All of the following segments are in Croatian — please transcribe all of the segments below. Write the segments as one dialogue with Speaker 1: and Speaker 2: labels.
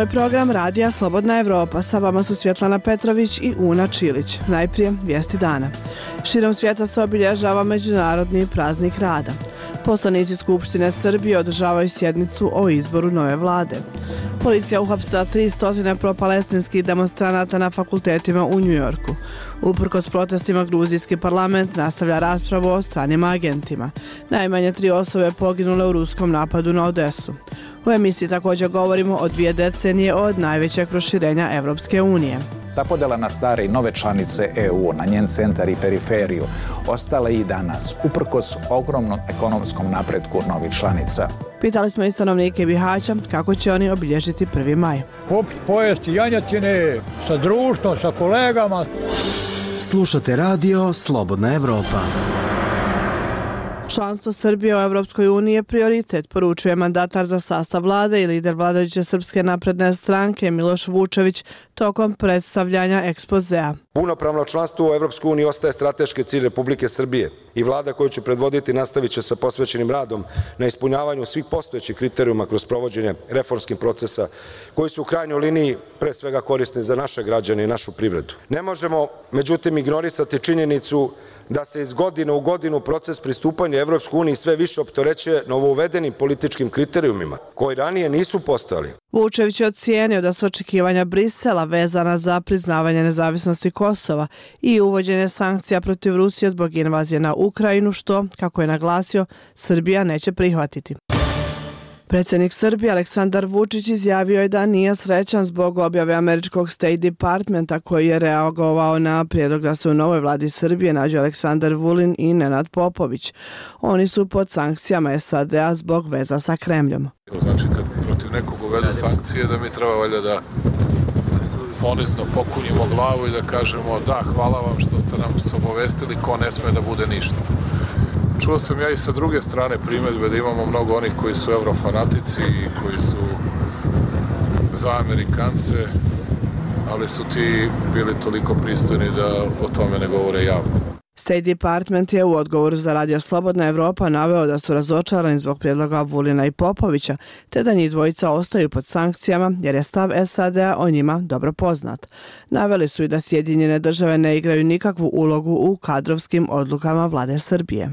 Speaker 1: Ovo je program Radija Slobodna Evropa. Sa vama su Svjetlana Petrović i Una Čilić. Najprije vijesti dana. Širom svijeta se obilježava Međunarodni praznik rada. Poslanici Skupštine Srbije održavaju sjednicu o izboru nove vlade. Policija uhapsila 300 propalestinskih demonstranata na fakultetima u Njujorku. Uprkos protestima, gruzijski parlament nastavlja raspravu o stranim agentima. Najmanje 3 osobe poginule u ruskom napadu na Odesu. U emisiji također govorimo o 2 decenije od najvećeg proširenja Evropske unije.
Speaker 2: Ta podjela na stare i nove članice EU, na njen centar i periferiju, ostala i danas, uprkos ogromnom ekonomskom napretku novih članica.
Speaker 1: Pitali smo i stanovnike Bihaća kako će oni obilježiti 1. maj.
Speaker 3: Pojesti janjetine sa društvom, sa kolegama.
Speaker 4: Slušate radio Slobodna Evropa.
Speaker 1: Članstvo Srbije u Evropskoj uniji je prioritet, poručuje mandatar za sastav vlade i lider vladajuće Srpske napredne stranke Miloš Vučević tokom predstavljanja ekspozea.
Speaker 5: Punopravno članstvo u Evropskoj uniji ostaje strateški cilj Republike Srbije i vlada koju ću predvoditi nastavit će sa posvećenim radom na ispunjavanju svih postojećih kriterijuma kroz provođenje reformskih procesa koji su u krajnjoj liniji pre svega korisni za naše građane i našu privredu. Ne možemo, međutim, ignorisati činjenicu da se iz godine u godinu proces pristupanja Evropskoj uniji sve više opterećuje novouvedenim političkim kriterijumima koji ranije nisu postojali.
Speaker 1: Vučević je ocijenio da su očekivanja Brisela vezana za priznavanje nezavisnosti Kosova i uvođenje sankcija protiv Rusije zbog invazije na Ukrajinu, što, kako je naglasio, Srbija neće prihvatiti. Predsjednik Srbije Aleksandar Vučić izjavio je da nije srećan zbog objave američkog State Departmenta koji je reagovao na prijedlog da se u novoj vladi Srbije nađu Aleksandar Vulin i Nenad Popović. Oni su pod sankcijama SAD-a zbog veza sa Kremljom.
Speaker 6: Znači kad protiv nekog uvedu sankcije da mi treba valjda da ponizno pokunjimo glavu i da kažemo da, hvala vam što ste nam se obavestili, ko ne sme da bude ništa. Čuo sam ja i sa druge strane primjedbe da imamo mnogo onih koji su eurofanatici i koji su za Amerikance, ali su ti bili toliko pristojni da o tome ne govore javno.
Speaker 1: State Department je u odgovoru za Radio Slobodna Evropa naveo da su razočarani zbog prijedloga Vulina i Popovića, te da njih dvojica ostaju pod sankcijama jer je stav SAD-a o njima dobro poznat. Naveli su i da Sjedinjene države ne igraju nikakvu ulogu u kadrovskim odlukama vlade Srbije.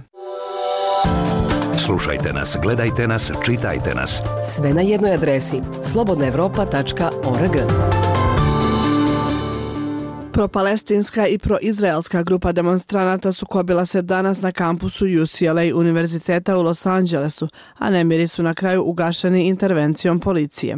Speaker 7: Slušajte nas, gledajte nas, čitajte nas.
Speaker 8: Sve na jednoj adresi slobodnaevropa.org.
Speaker 1: Propalestinska i proizraelska grupa demonstranata sukobila se danas na kampusu UCLA univerziteta u Los Angelesu, a nemiri su na kraju ugašeni intervencijom policije.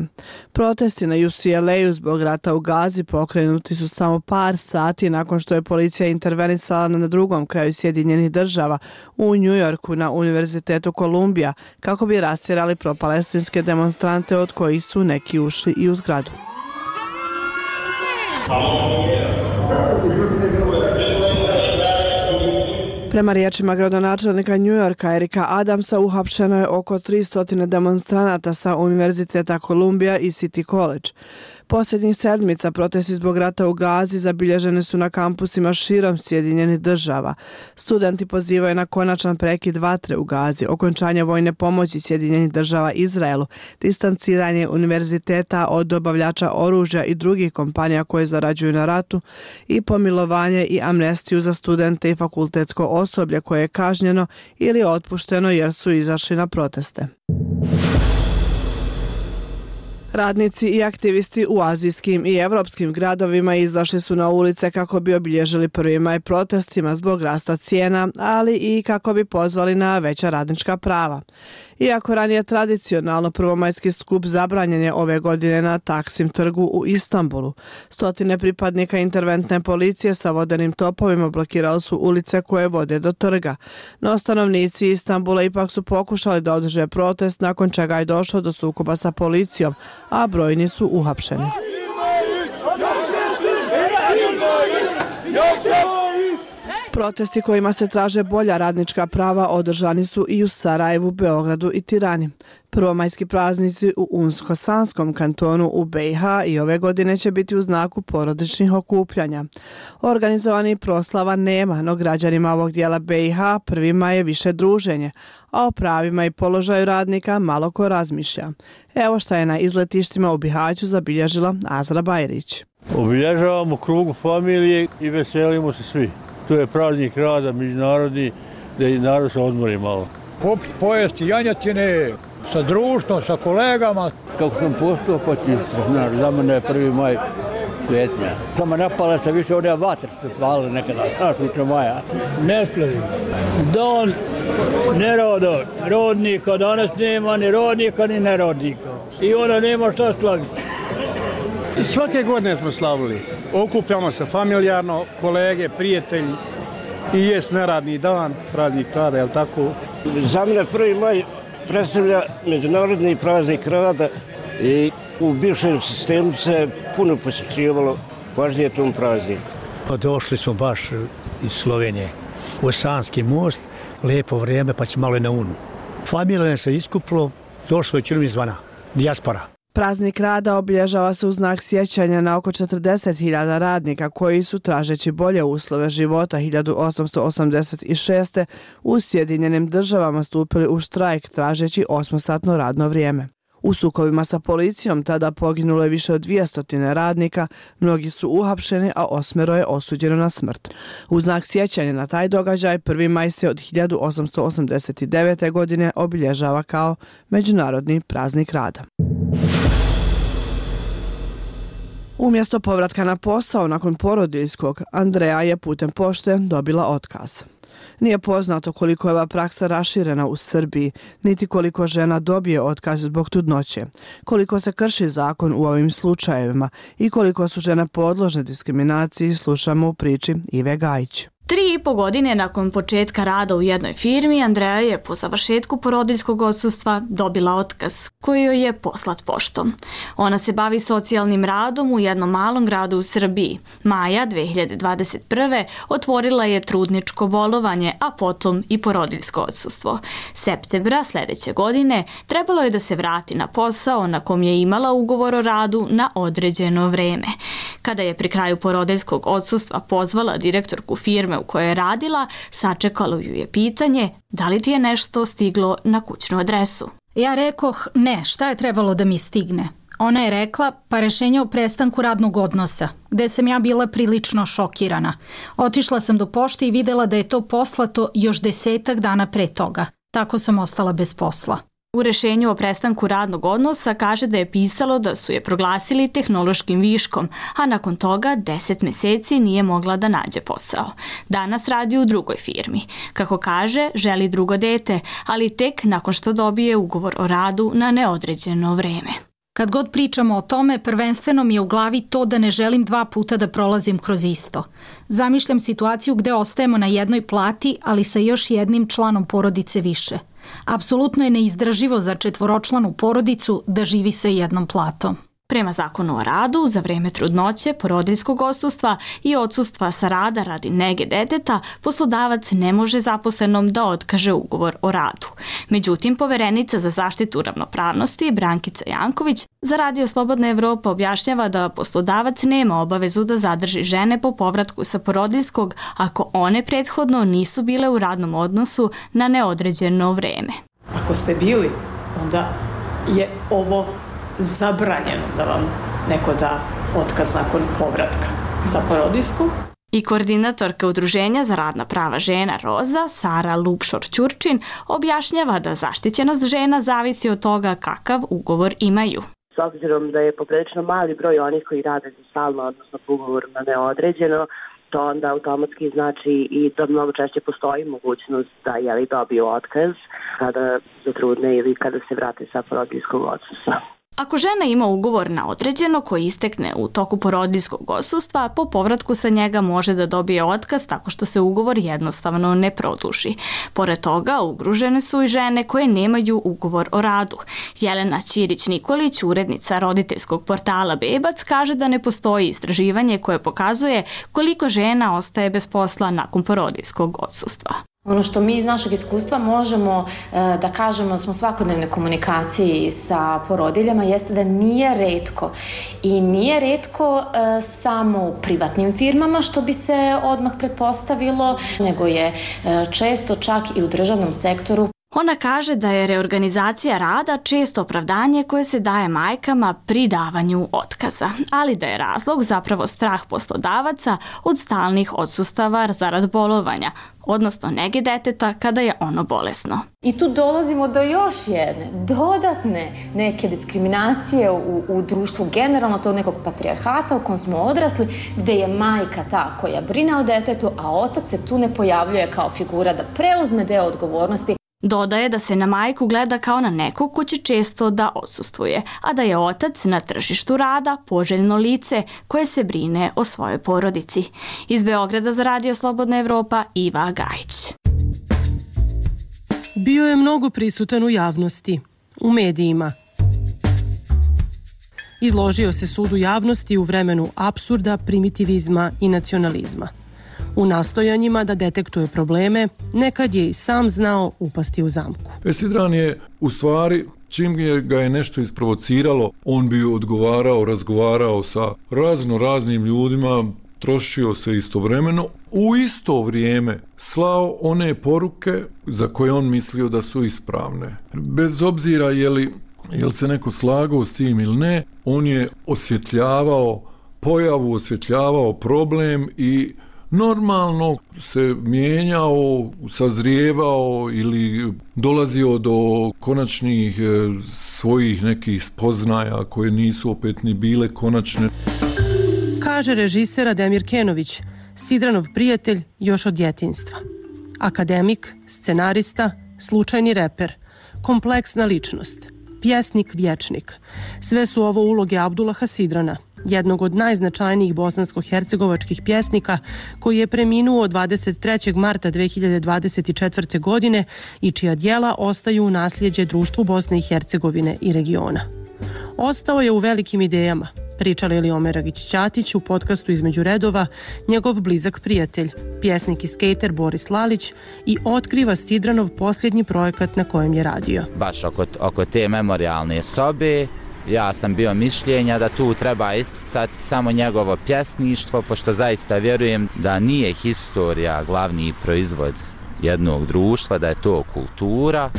Speaker 1: Protesti na UCLA-u zbog rata u Gazi pokrenuti su samo par sati nakon što je policija intervenisala na drugom kraju Sjedinjenih država u Njujorku na Univerzitetu Kolumbija kako bi rastjerali propalestinske demonstrante od kojih su neki ušli i u zgradu. Prema riječima gradonačelnika Njujorka Erika Adamsa uhapšeno je oko 300 demonstranata sa Univerziteta Kolumbija i City College. Posljednjih sedmica protesti zbog rata u Gazi zabilježeni su na kampusima širom Sjedinjenih država. Studenti pozivaju na konačan prekid vatre u Gazi, okončanje vojne pomoći Sjedinjenih država Izraelu, distanciranje univerziteta od dobavljača oružja i drugih kompanija koje zarađuju na ratu i pomilovanje i amnestiju za studente i fakultetsko osoblje koje je kažnjeno ili otpušteno jer su izašli na proteste. Radnici i aktivisti u azijskim i evropskim gradovima izašli su na ulice kako bi obilježili 1. maj protestima zbog rasta cijena, ali i kako bi pozvali na veća radnička prava. Iako ranije tradicionalno prvomajski skup zabranjen je ove godine na Taksim trgu u Istanbulu. Stotine pripadnika interventne policije sa vodenim topovima blokirali su ulice koje vode do trga. No stanovnici Istanbula ipak su pokušali da održe protest nakon čega je došlo do sukoba sa policijom, a brojni su uhapšeni. Protesti kojima se traže bolja radnička prava održani su i u Sarajevu, Beogradu i Tirani. Prvomajski praznici u Unsko-Sanskom kantonu u BiH i ove godine će biti u znaku porodičnih okupljanja. Organizovanih proslava nema, no građanima ovog dijela BiH prvima je više druženje, a o pravima i položaju radnika malo ko razmišlja. Evo šta je na izletištima u Bihaću zabilježila Azra Bajrić.
Speaker 3: Obilježavamo krugu familije i veselimo se svi. Tu je praznik rada međunarodni, da i narod se odmori malo. Popiti, pojesti janjetine sa društvom, sa kolegama.
Speaker 9: Kako sam postao počistio, znaš, za mene je 1. maj svetnja. Samo napala se više one vatre se pale nekada, znaš, uče maja.
Speaker 3: Ne slavim. Dan rodnika, danas nema ni rodnika ni nerodnika. I onda nema šta slaviti.
Speaker 10: Svake godine smo slavili. Okupljamo se familijarno, kolege, prijatelji i jest neradni dan, praznik rada, je li tako?
Speaker 11: Za mene 1. maj predstavlja međunarodni praznik rada i u bivšem sistemu se puno posjećivalo važnije tom prazniku.
Speaker 12: Došli smo baš iz Slovenije u Sanski most, lijepo vrijeme pa će malo i na Unu. Familija se iskupilo, došlo je čini izvana, dijaspora.
Speaker 1: Praznik rada obilježava se u znak sjećanja na oko 40.000 radnika koji su, tražeći bolje uslove života 1886. u Sjedinjenim Državama stupili u štrajk tražeći 8-satno radno vrijeme. U sukobima sa policijom tada poginulo je više od 200 radnika, mnogi su uhapšeni, a 8 je osuđeno na smrt. U znak sjećanja na taj događaj 1. maj se od 1889. godine obilježava kao Međunarodni praznik rada. Umjesto povratka na posao nakon porodiljskog, Andreja je putem pošte dobila otkaz. Nije poznato koliko je ova praksa raširena u Srbiji, niti koliko žena dobije otkaz zbog trudnoće, koliko se krši zakon u ovim slučajevima i koliko su žene podložne diskriminaciji, slušamo u priči Ive Gajić.
Speaker 13: 3,5 godine nakon početka rada u jednoj firmi, Andreja je po završetku porodiljskog odsustva dobila otkaz koji joj je poslat poštom. Ona se bavi socijalnim radom u jednom malom gradu u Srbiji. Maja 2021. otvorila je trudničko bolovanje, a potom i porodiljsko odsustvo. Septembra sljedeće godine trebalo je da se vrati na posao na kom je imala ugovor o radu na određeno vreme. Kada je pri kraju porodiljskog odsustva pozvala direktorku firme u kojoj je radila, sačekalo ju je pitanje da li ti je nešto stiglo na kućnu adresu.
Speaker 14: Ja rekoh ne, šta je trebalo da mi stigne? Ona je rekla pa rešenje o prestanku radnog odnosa, gde sam ja bila prilično šokirana. Otišla sam do pošte i videla da je to poslato još 10 dana pre toga. Tako sam ostala bez posla.
Speaker 13: U rešenju o prestanku radnog odnosa kaže da je pisalo da su je proglasili tehnološkim viškom, a nakon toga 10 mjeseci nije mogla da nađe posao. Danas radi u drugoj firmi. Kako kaže, želi drugo dete, ali tek nakon što dobije ugovor o radu na neodređeno vreme.
Speaker 14: Kad god pričamo o tome, prvenstveno mi je u glavi to da ne želim 2 puta da prolazim kroz isto. Zamišljam situaciju gde ostajemo na jednoj plati, ali sa još jednim članom porodice više. Apsolutno je neizdrživo za 4-članu porodicu da živi sa jednom platom.
Speaker 13: Prema zakonu o radu, za vreme trudnoće, porodiljskog odsustva i odsustva sa rada radi nege deteta, poslodavac ne može zaposlenom da otkaže ugovor o radu. Međutim, poverenica za zaštitu ravnopravnosti Brankica Janković za Radio Slobodna Evropa objašnjava da poslodavac nema obavezu da zadrži žene po povratku sa porodiljskog ako one prethodno nisu bile u radnom odnosu na neodređeno vreme.
Speaker 15: Ako ste bili, onda je ovo zabranjeno da vam neko da otkaz nakon povratka sa porodiljskog.
Speaker 13: I koordinatorka Udruženja za radna prava žena Roza, Sara Lupšor-Ćurčin, objašnjava da zaštićenost žena zavisi od toga kakav ugovor imaju.
Speaker 16: S obzirom da je poprilično mali broj onih koji rade za stalno, odnosno po ugovoru na neodređeno, to onda automatski znači i da mnogo češće postoji mogućnost da dobiju otkaz kada zatrudne ili kada se vrate sa porodiljskog odsustva.
Speaker 13: Ako žena ima ugovor na određeno koji istekne u toku porodiljskog odsustva, po povratku sa njega može da dobije otkaz tako što se ugovor jednostavno ne produži. Pored toga, ugrožene su i žene koje nemaju ugovor o radu. Jelena Ćirić-Nikolić, urednica roditeljskog portala Bebac, kaže da ne postoji istraživanje koje pokazuje koliko žena ostaje bez posla nakon porodiljskog odsustva.
Speaker 17: Ono što mi iz našeg iskustva možemo da kažemo da smo u svakodnevnoj komunikaciji sa porodiljama jeste da nije retko i nije retko samo u privatnim firmama što bi se odmah pretpostavilo, nego je često čak i u državnom sektoru.
Speaker 13: Ona kaže da je reorganizacija rada često opravdanje koje se daje majkama pri davanju otkaza, ali da je razlog zapravo strah poslodavaca od stalnih odsustava zarad bolovanja, odnosno nege deteta kada je ono bolesno.
Speaker 17: I tu dolazimo do još jedne dodatne neke diskriminacije u društvu, generalno tog nekog patrijarhata u kom smo odrasli, gde je majka ta koja brine o detetu, a otac se tu ne pojavljuje kao figura da preuzme deo odgovornosti.
Speaker 13: Dodaje da se na majku gleda kao na nekog ko će često da odsustvuje, a da je otac na tržištu rada poželjno lice koje se brine o svojoj porodici. Iz Beograda za Radio Slobodna Evropa, Iva Gajić.
Speaker 18: Bio je mnogo prisutan u javnosti, u medijima. Izložio se sudu javnosti u vremenu apsurda, primitivizma i nacionalizma. U nastojanjima da detektuje probleme, nekad je i sam znao upasti u zamku.
Speaker 19: Sidran je u stvari, čim ga je nešto isprovociralo, on bi odgovarao, razgovarao sa raznim ljudima, trošio se istovremeno, u isto vrijeme slao one poruke za koje on mislio da su ispravne. Bez obzira jel se neko slagao s tim ili ne, on je osvjetljavao pojavu, osvjetljavao problem i normalno se mijenjao, sazrijevao ili dolazio do konačnih svojih nekih spoznaja koje nisu opet ni bile konačne.
Speaker 18: Kaže režiser Ademir Kenović, Sidranov prijatelj još od djetinjstva. Akademik, scenarista, slučajni reper, kompleksna ličnost, pjesnik, vječnik. Sve su ovo uloge Abdullaha Sidrana, jednog od najznačajnijih bosansko-hercegovačkih pjesnika koji je preminuo 23. marta 2024. godine i čija djela ostaju u nasljeđe društvu Bosne i Hercegovine i regiona. Ostao je u velikim idejama, priča Lili Omeragić-Ćatić u podcastu Između redova, njegov blizak prijatelj, pjesnik i skejter Boris Lalić, i otkriva Sidranov posljednji projekat na kojem je radio.
Speaker 20: Baš oko te memorijalne sobe, ja sam bio mišljenja da tu treba isticati samo njegovo pjesništvo, pošto zaista vjerujem da nije historija glavni proizvod jednog društva, da je to kultura.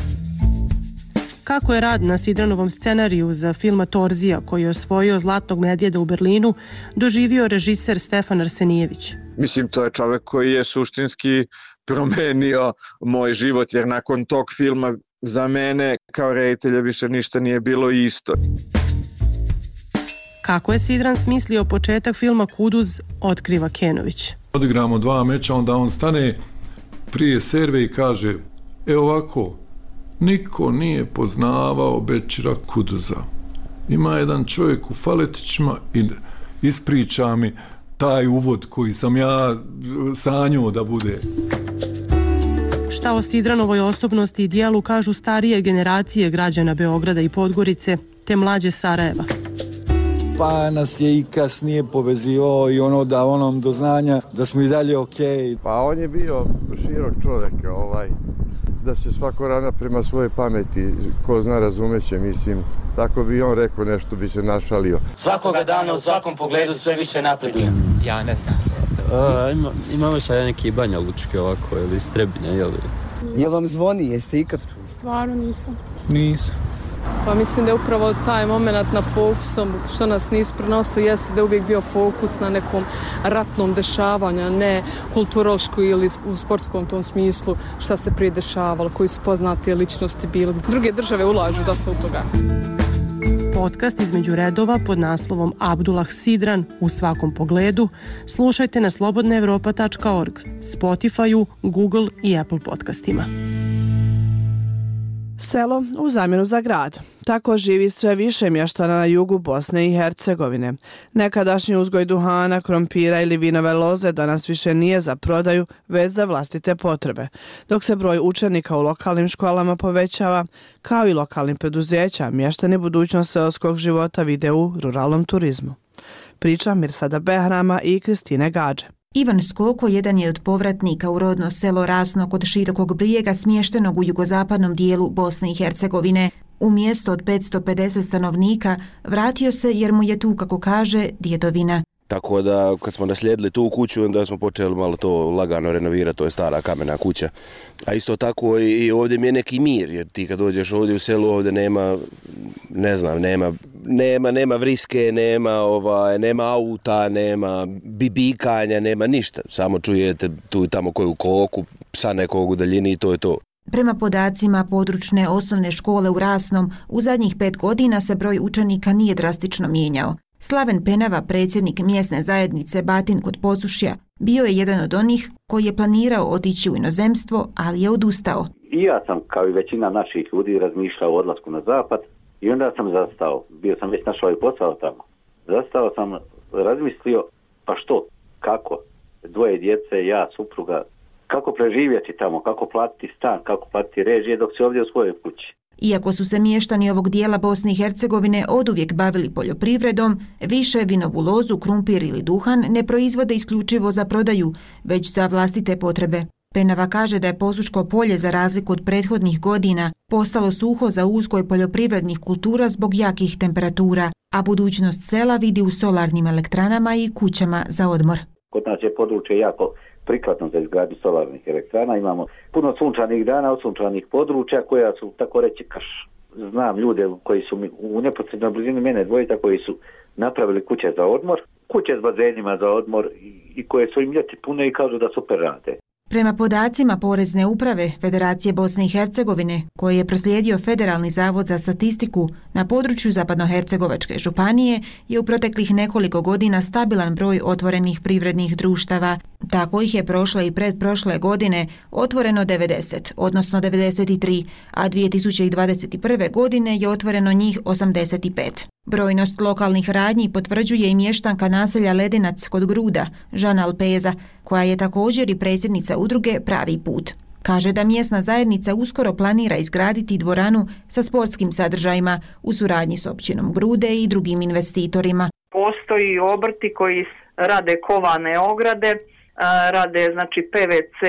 Speaker 18: Kako je rad na Sidranovom scenariju za filma Torzija, koji je osvojio Zlatnog medvjeda u Berlinu, doživio režiser Stefan Arsenijević.
Speaker 21: Mislim, to je čovjek koji je suštinski promenio moj život, jer nakon tog filma za mene kao reditelja više ništa nije bilo isto.
Speaker 18: Kako je Sidran smislio početak filma Kuduz, otkriva Kenović.
Speaker 19: Odigramo 2 meča, onda on stane prije serve i kaže: ovako, niko nije poznavao Bećira Kuduza. Ima jedan čovjek u faletićima i ispriča mi taj uvod koji sam ja sanjao da bude.
Speaker 18: Šta o Sidranovoj osobnosti i dijelu kažu starije generacije građana Beograda i Podgorice, te mlađe Sarajeva.
Speaker 22: Pa nas je i kasnije povezivao i da onom do znanja da smo i dalje okej.
Speaker 23: Pa on je bio širok čovjek, da se svako ravna prema svojoj pameti, ko zna razumeće, mislim, tako bi on rekao, nešto bi se našalio.
Speaker 24: Svakoga dana u svakom pogledu sve više napreduje.
Speaker 25: Ja ne znam imamo šta neki Banja Lučki ovako ili Strebine, jel?
Speaker 22: Jel vam zvoni, jeste ikad čuli?
Speaker 26: Stvarno nisam.
Speaker 19: Nisam.
Speaker 26: Pa mislim da je upravo taj moment na fokusom, što nas nisu prenosili, jeste da je uvijek bio fokus na nekom ratnom dešavanju, ne kulturološku ili u sportskom tom smislu šta se prije dešavalo, koji su poznati ličnosti bili. Druge države ulažu dosta u toga.
Speaker 18: Podcast Između redova pod naslovom Abdullah Sidran u svakom pogledu slušajte na slobodnaevropa.org, Spotify-u, Google i Apple podcastima.
Speaker 1: Selo u zamjenu za grad. Tako živi sve više mještana na jugu Bosne i Hercegovine. Nekadašnji uzgoj duhana, krompira ili vinove loze danas više nije za prodaju, već za vlastite potrebe. Dok se broj učenika u lokalnim školama povećava, kao i lokalnim preduzeća, mještani budućnost seoskog života vide u ruralnom turizmu. Priča Mirsada Behrama i Kristine Gađe.
Speaker 2: Ivan Skoko jedan je od povratnika u rodno selo Rasno kod Širokog Brijega smještenog u jugozapadnom dijelu Bosne i Hercegovine. U mjesto od 550 stanovnika vratio se jer mu je tu, kako kaže, djedovina.
Speaker 4: Tako da kad smo naslijedili tu kuću, onda smo počeli malo to lagano renovirati, to je stara kamena kuća. A isto tako i ovdje mi je neki mir, jer ti kad dođeš ovdje u selu, ovdje nema, ne znam, nema vriske, nema auta, nema bibikanja, nema ništa. Samo čujete tu i tamo koju koku, psa nekog u daljini i to je to.
Speaker 2: Prema podacima područne osnovne škole u Rasnom, u zadnjih 5 godina se broj učenika nije drastično mijenjao. Slaven Penava, predsjednik mjesne zajednice Batin kod Posušja, bio je jedan od onih koji je planirao otići u inozemstvo, ali je odustao.
Speaker 5: I ja sam, kao i većina naših ljudi, razmišljao o odlasku na zapad i onda sam zastao. Bio sam već našao i posao tamo. Zastao sam, razmislio, pa što, kako, 2 djece, ja, supruga, kako preživjeti tamo, kako platiti stan, kako platiti režije dok si ovdje u svojoj kući.
Speaker 2: Iako su se mještani ovog dijela Bosne i Hercegovine oduvijek bavili poljoprivredom, više vinovu lozu, krumpir ili duhan ne proizvode isključivo za prodaju, već za vlastite potrebe. Penava kaže da je Posuško polje, za razliku od prethodnih godina, postalo suho za uzgoj poljoprivrednih kultura zbog jakih temperatura, a budućnost sela vidi u solarnim elektranama i kućama za odmor.
Speaker 5: Kod nas je područje jako prikladno za izgradnju solarnih elektrana. Imamo puno sunčanih dana, sunčanih područja koja su, tako reći, krš. Znam ljude koji su u neposrednoj blizini mene dvojica koji su napravili kuće za odmor, kuće s bazenima za odmor i koje su im ljeti pune i kažu da super rade.
Speaker 2: Prema podacima Porezne uprave Federacije Bosne i Hercegovine, koje je proslijedio Federalni zavod za statistiku, na području Zapadnohercegovačke županije je u proteklih nekoliko godina stabilan broj otvorenih privrednih društava. Tako ih je prošle i predprošle godine otvoreno 90, odnosno 93, a 2021. godine je otvoreno njih 85. Brojnost lokalnih radnji potvrđuje i mještanka naselja Ledinac kod Gruda, Žana Alpeza, koja je također i predsjednica udruge Pravi put. Kaže da mjesna zajednica uskoro planira izgraditi dvoranu sa sportskim sadržajima u suradnji s općinom Grude i drugim investitorima.
Speaker 6: Postoji obrti koji rade kovane ograde, rade znači PVC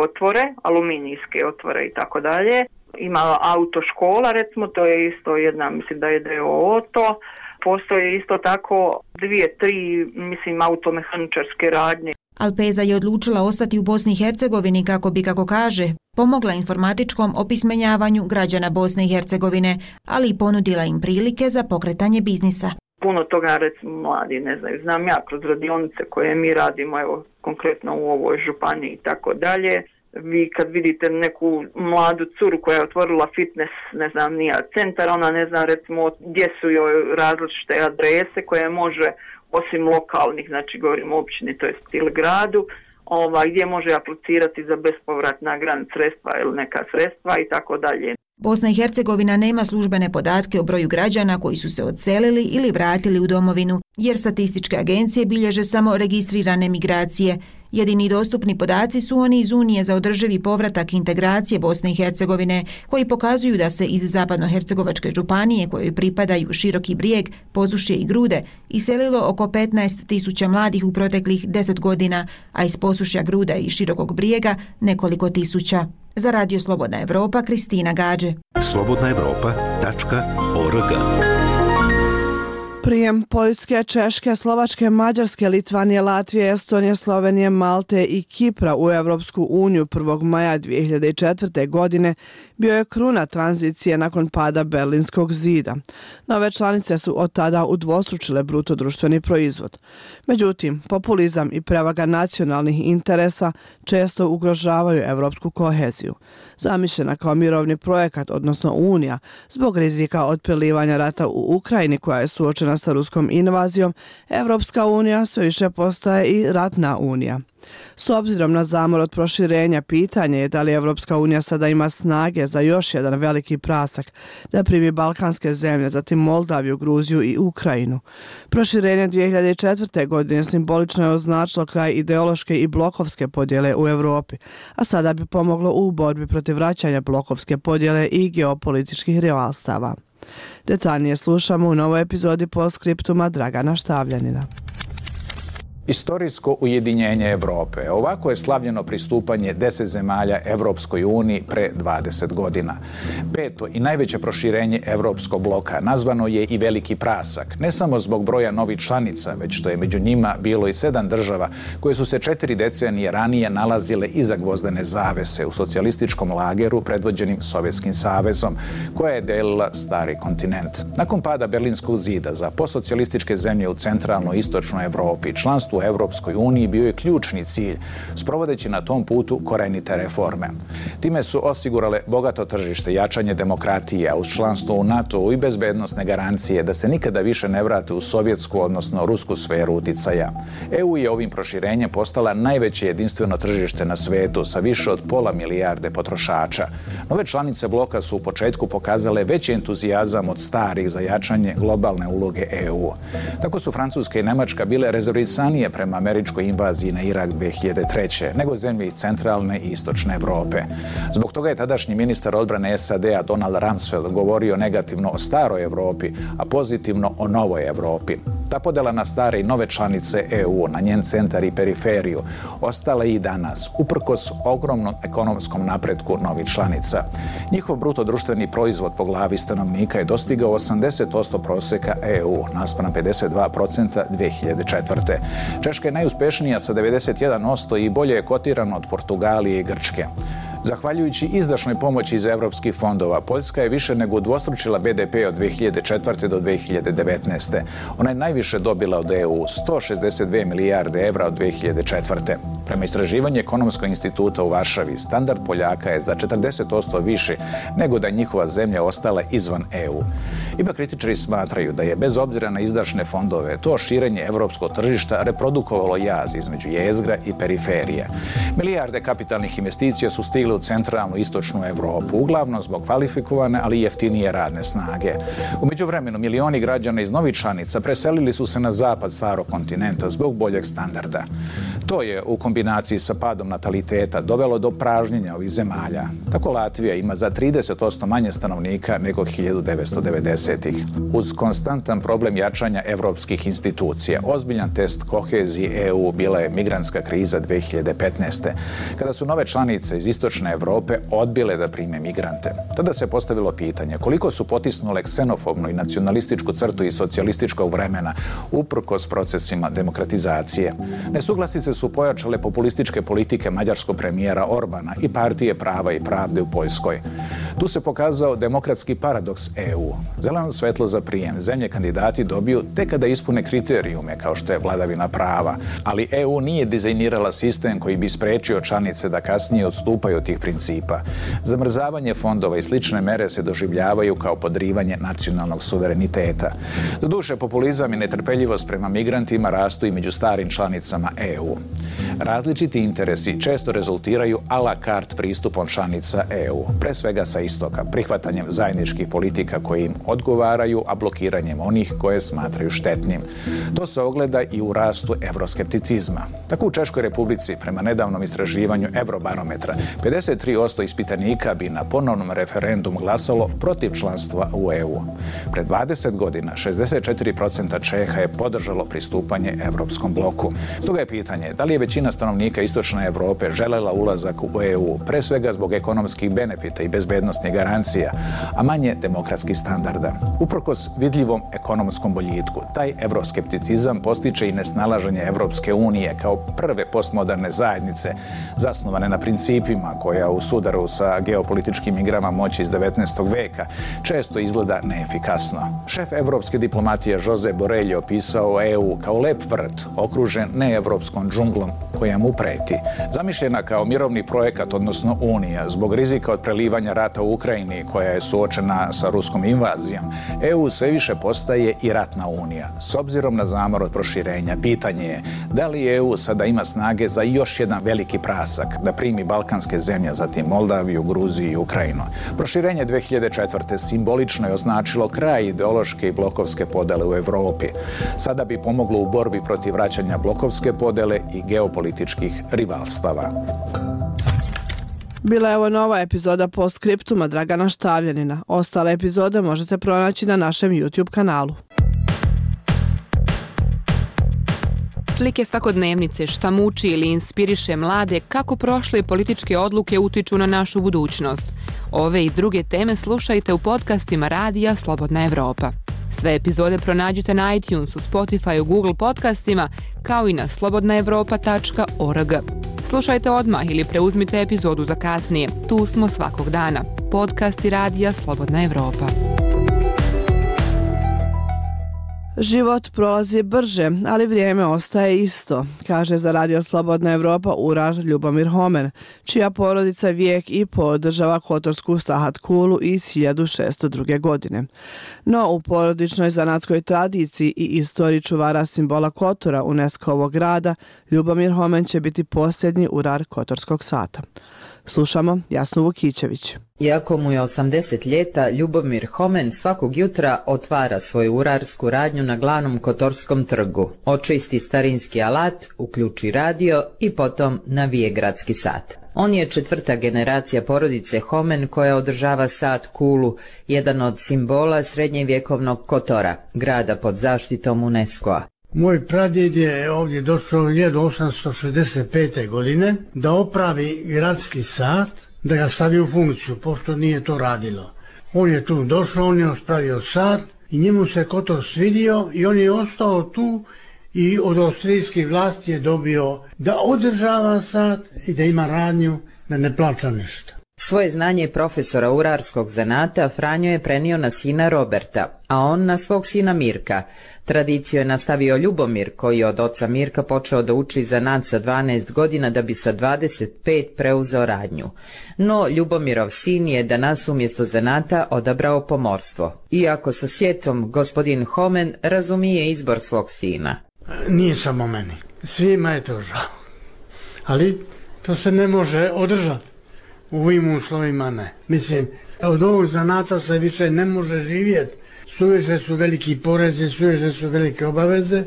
Speaker 6: otvore, aluminijske otvore i tako dalje. Ima autoškola, recimo, to je isto jedna, mislim da je DOO to. Postoje isto tako 2-3, mislim, automehaničarske radnje.
Speaker 2: Alpeza je odlučila ostati u Bosni i Hercegovini kako bi, kako kaže, pomogla informatičkom opismenjavanju građana Bosne i Hercegovine, ali i ponudila im prilike za pokretanje biznisa.
Speaker 6: Puno toga, recimo, mladi ne znaju. Znam ja kroz radionice koje mi radimo, evo, konkretno u ovoj županiji i tako dalje. Vi kad vidite neku mladu curu koja je otvorila fitness, ne znam, nija centar, ona ne zna recimo gdje su joj različite adrese koje može, osim lokalnih, znači govorimo o općini, to jest ili gradu, gdje može aplicirati za bespovratna grant sredstva ili neka sredstva i tako dalje.
Speaker 2: Bosna i Hercegovina nema službene podatke o broju građana koji su se odselili ili vratili u domovinu, jer statističke agencije bilježe samo registrirane migracije. Jedini dostupni podaci su oni iz Unije za održivi povratak integracije Bosne i Hercegovine, koji pokazuju da se iz Zapadnohercegovačke županije, kojoj pripadaju Široki Brijeg, Posušje i Grude, iselilo oko 15.000 mladih u proteklih 10 godina, a iz Posušja, Gruda i Širokog Brijega nekoliko tisuća. Za Radio Slobodna Evropa, Kristina Gađe.
Speaker 7: slobodnaevropa.org.
Speaker 1: Prijem Poljske, Češke, Slovačke, Mađarske, Litvanije, Latvije, Estonije, Slovenije, Malte i Kipra u Evropsku uniju 1. maja 2004. godine bio je kruna tranzicije nakon pada Berlinskog zida. Nove članice su od tada udvostručile bruto društveni proizvod. Međutim, populizam i prevaga nacionalnih interesa često ugrožavaju evropsku koheziju. Zamišljena kao mirovni projekat, odnosno Unija, zbog rizika od prelivanja rata u Ukrajini koja je suočena suočena sa ruskom invazijom, Evropska unija sve više postaje i ratna unija. S obzirom na zamor od proširenja, pitanje je da li Evropska unija sada ima snage za još jedan veliki prasak da primi balkanske zemlje, zatim Moldaviju, Gruziju i Ukrajinu. Proširenje 2004. godine simbolično je označilo kraj ideološke i blokovske podjele u Europi, a sada bi pomoglo u borbi protiv vraćanja blokovske podjele i geopolitičkih rivalstava. Detaljnije slušamo u novoj epizodi Postscriptuma Dragana Štavljanina.
Speaker 3: Istorijsko ujedinjenje Evrope. Ovako je slavljeno pristupanje 10 zemalja Evropskoj uniji pre 20 godina. Peto i najveće proširenje Evropskog bloka nazvano je i veliki prasak, ne samo zbog broja novih članica, već što je među njima bilo i 7 država koje su se 4 decenije ranije nalazile iza gvozdene zavese u socijalističkom lageru predvođenim Sovjetskim savezom, koja je delila stari kontinent. Nakon pada Berlinskog zida za postsocijalističke zemlje u centralnoj i istočnoj Evropi, članstvo u Evropskoj uniji bio je ključni cilj, sprovodeći na tom putu korenite reforme. Time su osigurale bogato tržište, jačanje demokratije, a uz članstvo u NATO-u i bezbednosne garancije da se nikada više ne vrate u sovjetsku, odnosno rusku sferu uticaja. EU je ovim proširenjem postala najveće jedinstveno tržište na svetu sa više od 500 milijarde potrošača. Nove članice bloka su u početku pokazale veći entuzijazam od starih za jačanje globalne uloge EU. Tako su Francuska i Nemačka bile rezervisanije prema američkoj invaziji na Irak 2003. nego zemlje iz centralne i istočne Evrope. Zbog toga je tadašnji ministar odbrane SAD-a Donald Rumsfeld govorio negativno o staroj Evropi, a pozitivno o novoj Evropi. Ta podela na stare i nove članice EU, na njen centar i periferiju, ostala i danas, uprkos ogromnom ekonomskom napretku novih članica. Njihov bruto društveni proizvod po glavi stanovnika je dostigao 80% proseka EU, naspram 52% 2004. Češka je najuspešnija sa 91% i bolje je kotirana od Portugalije i Grčke. Zahvaljujući izdašnoj pomoći iz evropskih fondova, Poljska je više nego udvostručila BDP od 2004. do 2019. Ona je najviše dobila od EU, 162 milijarde evra od 2004. Prema istraživanju Ekonomskog instituta u Varšavi, standard Poljaka je za 40% više nego da je njihova zemlja ostala izvan EU. Ipak kritičari smatraju da je bez obzira na izdašne fondove to širenje evropskog tržišta reprodukovalo jaz između jezgra i periferije. Milijarde kapitalnih investicija su stigle u centralnu i istočnu Evropu, uglavnom zbog kvalifikovane, ali i jeftinije radne snage. U međuvremenu milioni građana iz novih članica preselili su se na zapad starog kontinenta zbog boljeg standarda. To je u kombinaciji sa padom nataliteta dovelo do pražnjenja ovih zemalja. Tako Latvija ima za 30% manje stanovnika nego 1990-ih. Uz konstantan problem jačanja evropskih institucija, ozbiljan test kohezije EU bila je migrantska kriza 2015. kada su nove članice iz istočne Evrope odbile da prime migrante. Tada se postavilo pitanje koliko su potisnule ksenofobnu i nacionalističku crtu iz socijalističkog vremena uprkos procesima demokratizacije. Nesuglasice su pojačale populističke politike mađarskog premijera Orbana i partije Prava i pravde u Poljskoj. Tu se pokazao demokratski paradoks EU. Zeleno svetlo za prijem zemlje kandidati dobiju tek kada ispune kriterijume kao što je vladavina prava, ali EU nije dizajnirala sistem koji bi sprečio članice da kasnije odstupaju od tih principa. Zamrzavanje fondova i slične mere se doživljavaju kao podrivanje nacionalnog suvereniteta. Doduše, populizam i netrpeljivost prema migrantima rastu i među starim članicama EU. Različiti interesi često rezultiraju a la carte pristupom članica EU, pre svega sa istoka, prihvatanjem zajedničkih politika koje im odgovaraju, a blokiranjem onih koje smatraju štetnim. To se ogleda i u rastu evroskepticizma. Tako u Češkoj Republici, prema nedavnom istraživanju Eurobarometra, 53% ispitanika bi na ponovnom referendumu glasalo protiv članstva u EU. Pred 20 godina 64% Čeha je podržalo pristupanje Evropskom bloku. Stoga je pitanje da li je većina stanovnika istočne Evrope želela ulazak u EU, pre svega zbog ekonomskih benefita i bezbednosnih garancija, a manje demokratskih standarda. Uprkos vidljivom ekonomskom boljitku, taj evroskepticizam postiče i nesnalaženje Evropske unije kao prve postmoderne zajednice zasnovane na principima koja u sudaru sa geopolitičkim igrama moći iz 19. veka često izgleda neefikasno. Šef evropske diplomatije Josep Borrell je opisao EU kao lep vrt okružen neevropskom džunglom koja mu preti. Zamišljena kao mirovni projekat, odnosno Unija, zbog rizika od prelivanja rata u Ukrajini koja je suočena sa ruskom invazijom, EU sve više postaje i ratna unija. S obzirom na zamor od proširenja, pitanje je da li EU sada ima snage za još jedan veliki prasak, da primi balkanske zemlje, zatim Moldaviju, Gruziju i Ukrajinu. Proširenje 2004. simbolično je označilo kraj ideološke i blokovske podele u Europi. Sada bi pomoglo u borbi protiv vraćanja blokovske podele i geopolitičkih rivalstava.
Speaker 1: Bila je ovo nova epizoda Postscriptuma Dragana Štavljanina. Ostale epizode možete pronaći na našem YouTube kanalu.
Speaker 7: Slike svakodnevnice, šta muči ili inspiriše mlade, kako prošle političke odluke utiču na našu budućnost. Ove i druge teme slušajte u podcastima Radija Slobodna Evropa. Sve epizode pronađite na iTunesu, Spotifyu, Google podcastima, kao i na slobodnaevropa.org. Slušajte odmah ili preuzmite epizodu za kasnije. Tu smo svakog dana. Podcasti Radija Slobodna Evropa.
Speaker 1: Život prolazi brže, ali vrijeme ostaje isto, kaže za Radio Slobodna Evropa urar Ljubomir Homen, čija porodica vijek i po održava kotorsku sahat kulu iz 1602. godine. No, u porodičnoj zanatskoj tradiciji i istoriji čuvara simbola Kotora UNESCO-ovog grada, Ljubomir Homen će biti posljednji urar kotorskog sata. Slušamo Jasnu Vukićević.
Speaker 8: Iako mu je 80 ljeta, Ljubomir Homen svakog jutra otvara svoju urarsku radnju na glavnom Kotorskom trgu, očisti starinski alat, uključi radio i potom navije gradski sat. On je 4. generacija porodice Homen koja održava sat kulu, jedan od simbola srednjevjekovnog Kotora, grada pod zaštitom UNESCO-a.
Speaker 9: Moj pradjed je ovdje došao 1865. godine da opravi gradski sat, da ga stavi u funkciju, pošto nije to radilo. On je tu došao, on je ospravio sat i njemu se Kotor svidio i on je ostao tu i od austrijskih vlasti je dobio da održava sat i da ima radnju, da ne plaća ništa.
Speaker 8: Svoje znanje profesora urarskog zanata Franjo je prenio na sina Roberta, a on na svog sina Mirka. Tradiciju je nastavio Ljubomir, koji je od oca Mirka počeo da uči zanat sa 12 godina da bi sa 25 preuzeo radnju. No, Ljubomirov sin je danas umjesto zanata odabrao pomorstvo. Iako sa sjetom gospodin Homen razumije izbor svog sina.
Speaker 9: Nije samo meni, svima je to žao, ali to se ne može održati. U ovim uslovima ne. Mislim, od ovog zanata se više ne može živjeti. Suviše su veliki porezi, suviše su velike obaveze,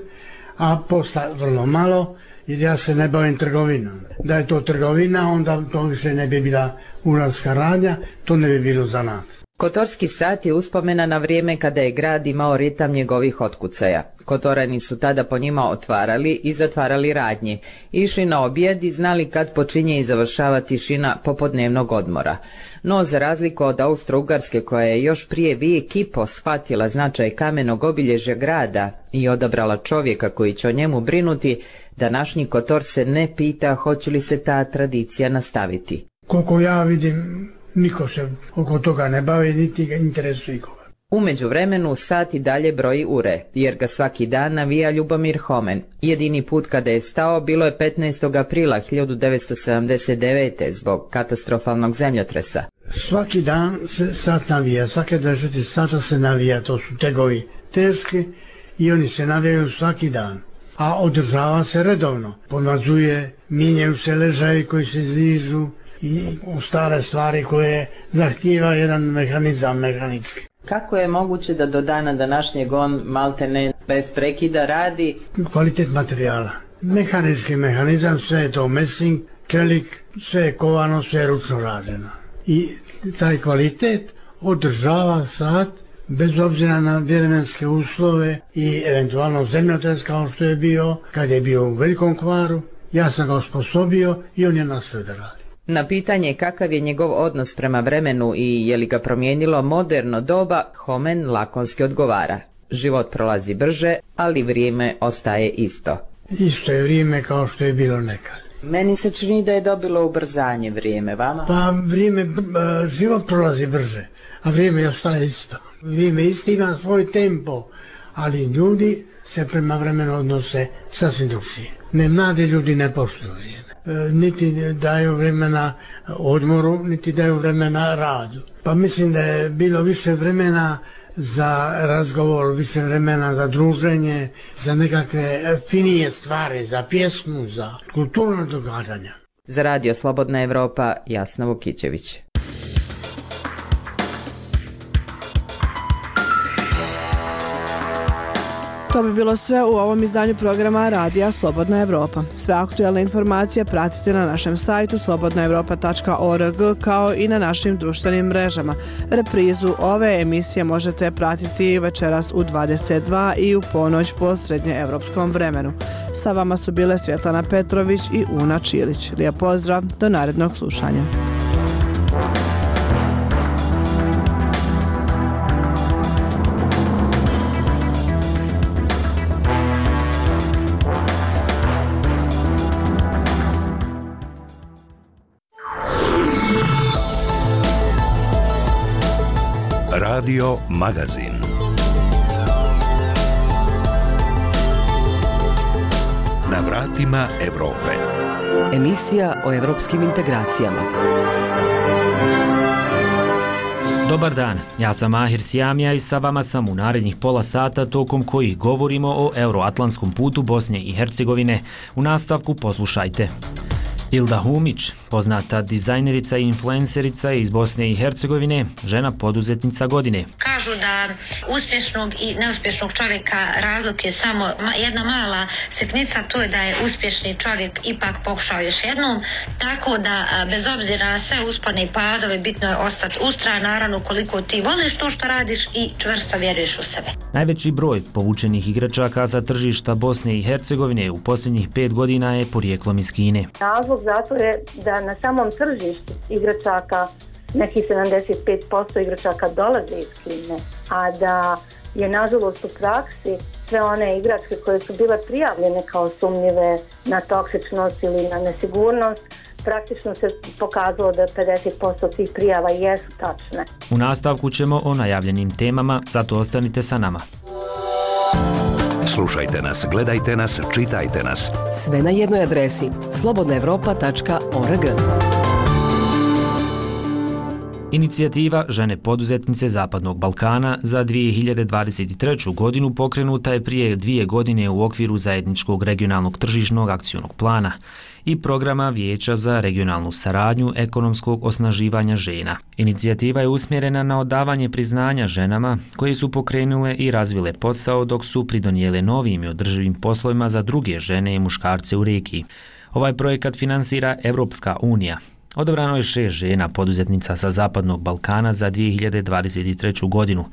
Speaker 9: a posla vrlo malo, jer ja se ne bavim trgovinom. Da je to trgovina, onda to više ne bi bila urarska radnja, to ne bi bilo zanat.
Speaker 8: Kotorski sat je uspomena na vrijeme kada je grad imao ritam njegovih otkucaja. Kotorani su tada po njima otvarali i zatvarali radnje, išli na objed i znali kad počinje i završava tišina popodnevnog odmora. No, za razliku od Austro-Ugarske koja je još prije vijek i po shvatila značaj kamenog obilježja grada i odabrala čovjeka koji će o njemu brinuti, današnji Kotor se ne pita hoće li se ta tradicija nastaviti.
Speaker 9: Koliko ja vidim, niko se oko toga ne bavi, niti ga interesuje ikoga.
Speaker 8: U međuvremenu sat i dalje broji ure, jer ga svaki dan navija Ljubomir Homen. Jedini put kada je stao bilo je 15. aprila 1979. zbog katastrofalnog zemljotresa.
Speaker 9: Svaki dan se sat navija, svake 24 sata se navija, to su tegovi teški i oni se navijaju svaki dan. A održava se redovno, pomazuje, mijenjaju se ležaji koji se izližu i stare stvari koje zahtijeva jedan mehanizam mehanički.
Speaker 8: Kako je moguće da do dana današnjeg on maltene bez prekida radi?
Speaker 9: Kvalitet materijala. Mehanički mehanizam, sve je to mesing, čelik, sve je kovano, sve je ručno rađeno. I taj kvalitet održava sat bez obzira na vremenske uslove i eventualno zemljotres kao što je bio, kad je bio u velikom kvaru. Ja sam ga osposobio i on je nastavio da radi.
Speaker 8: Na pitanje kakav je njegov odnos prema vremenu i je li ga promijenilo moderno doba, Homen lakonski odgovara. Život prolazi brže, ali vrijeme ostaje isto.
Speaker 9: Isto je vrijeme kao što je bilo nekad.
Speaker 8: Meni se čini da je dobilo ubrzanje vrijeme, vama?
Speaker 9: Pa vrijeme, život prolazi brže, a vrijeme ostaje isto. Vrijeme isto ima svoj tempo, ali ljudi se prema vremenu odnose sasvim drugčije. Ne, mladi ljudi ne poštuju vrijeme. Niti daju vremena odmoru, niti daju vremena radu. Pa mislim da je bilo više vremena za razgovor, više vremena za druženje, za nekakve finije stvari, za pjesmu, za kulturno događanja.
Speaker 8: Za Radio Slobodna Evropa, Jasna Vukićević.
Speaker 1: To bi bilo sve u ovom izdanju programa Radija Slobodna Evropa. Sve aktuelne informacije pratite na našem sajtu slobodnaevropa.org kao i na našim društvenim mrežama. Reprizu ove emisije možete pratiti večeras u 22 i u ponoć po srednjeevropskom vremenu. Sa vama su bile Svjetlana Petrović i Una Čilić. Lijep pozdrav, do narednog slušanja.
Speaker 10: Radio Magazin. Na vratima Evrope.
Speaker 11: Emisija o evropskim integracijama.
Speaker 12: Dobar dan, ja sam Mahir Sjamija i sa vama sam u narednih pola sata tokom kojih govorimo o euroatlantskom putu Bosne i Hercegovine. U nastavku poslušajte. Ilda Humić, poznata dizajnerica i influencerica iz Bosne i Hercegovine, žena poduzetnica godine.
Speaker 14: Kažu da uspješnog i neuspješnog čovjeka razlik je samo jedna mala sitnica, to je da je uspješni čovjek ipak pokušao još jednom, tako da bez obzira na sve uspone i padove bitno je ostati ustrajan, naravno koliko ti voliš to što radiš i čvrsto vjeruješ u sebe.
Speaker 12: Najveći broj povučenih igračaka sa tržišta Bosne i Hercegovine u posljednjih 5 godina je porijeklom iz Kine.
Speaker 15: Razlog zato je da na samom tržištu igračaka nekih 75% igračaka dolaze iz Kine, a da je nažalost u praksi sve one igračke koje su bile prijavljene kao sumnjive na toksičnost ili na nesigurnost, praktično se pokazalo da 50% tih prijava jesu tačne.
Speaker 12: U nastavku ćemo o najavljenim temama, zato ostanite sa nama.
Speaker 10: Slušajte nas, gledajte nas, čitajte nas.
Speaker 11: Sve na jednoj adresi slobodnaevropa.org.
Speaker 12: Inicijativa Žene poduzetnice Zapadnog Balkana za 2023. godinu pokrenuta je prije 2 godine u okviru zajedničkog regionalnog tržišnog akcionog plana i programa Vijeća za regionalnu saradnju ekonomskog osnaživanja žena. Inicijativa je usmjerena na odavanje priznanja ženama koje su pokrenule i razvile posao dok su pridonijele novim i održivim poslovima za druge žene i muškarce u regiji. Ovaj projekat finansira Evropska unija. Odabrano je 6 žena poduzetnica sa Zapadnog Balkana za 2023. godinu.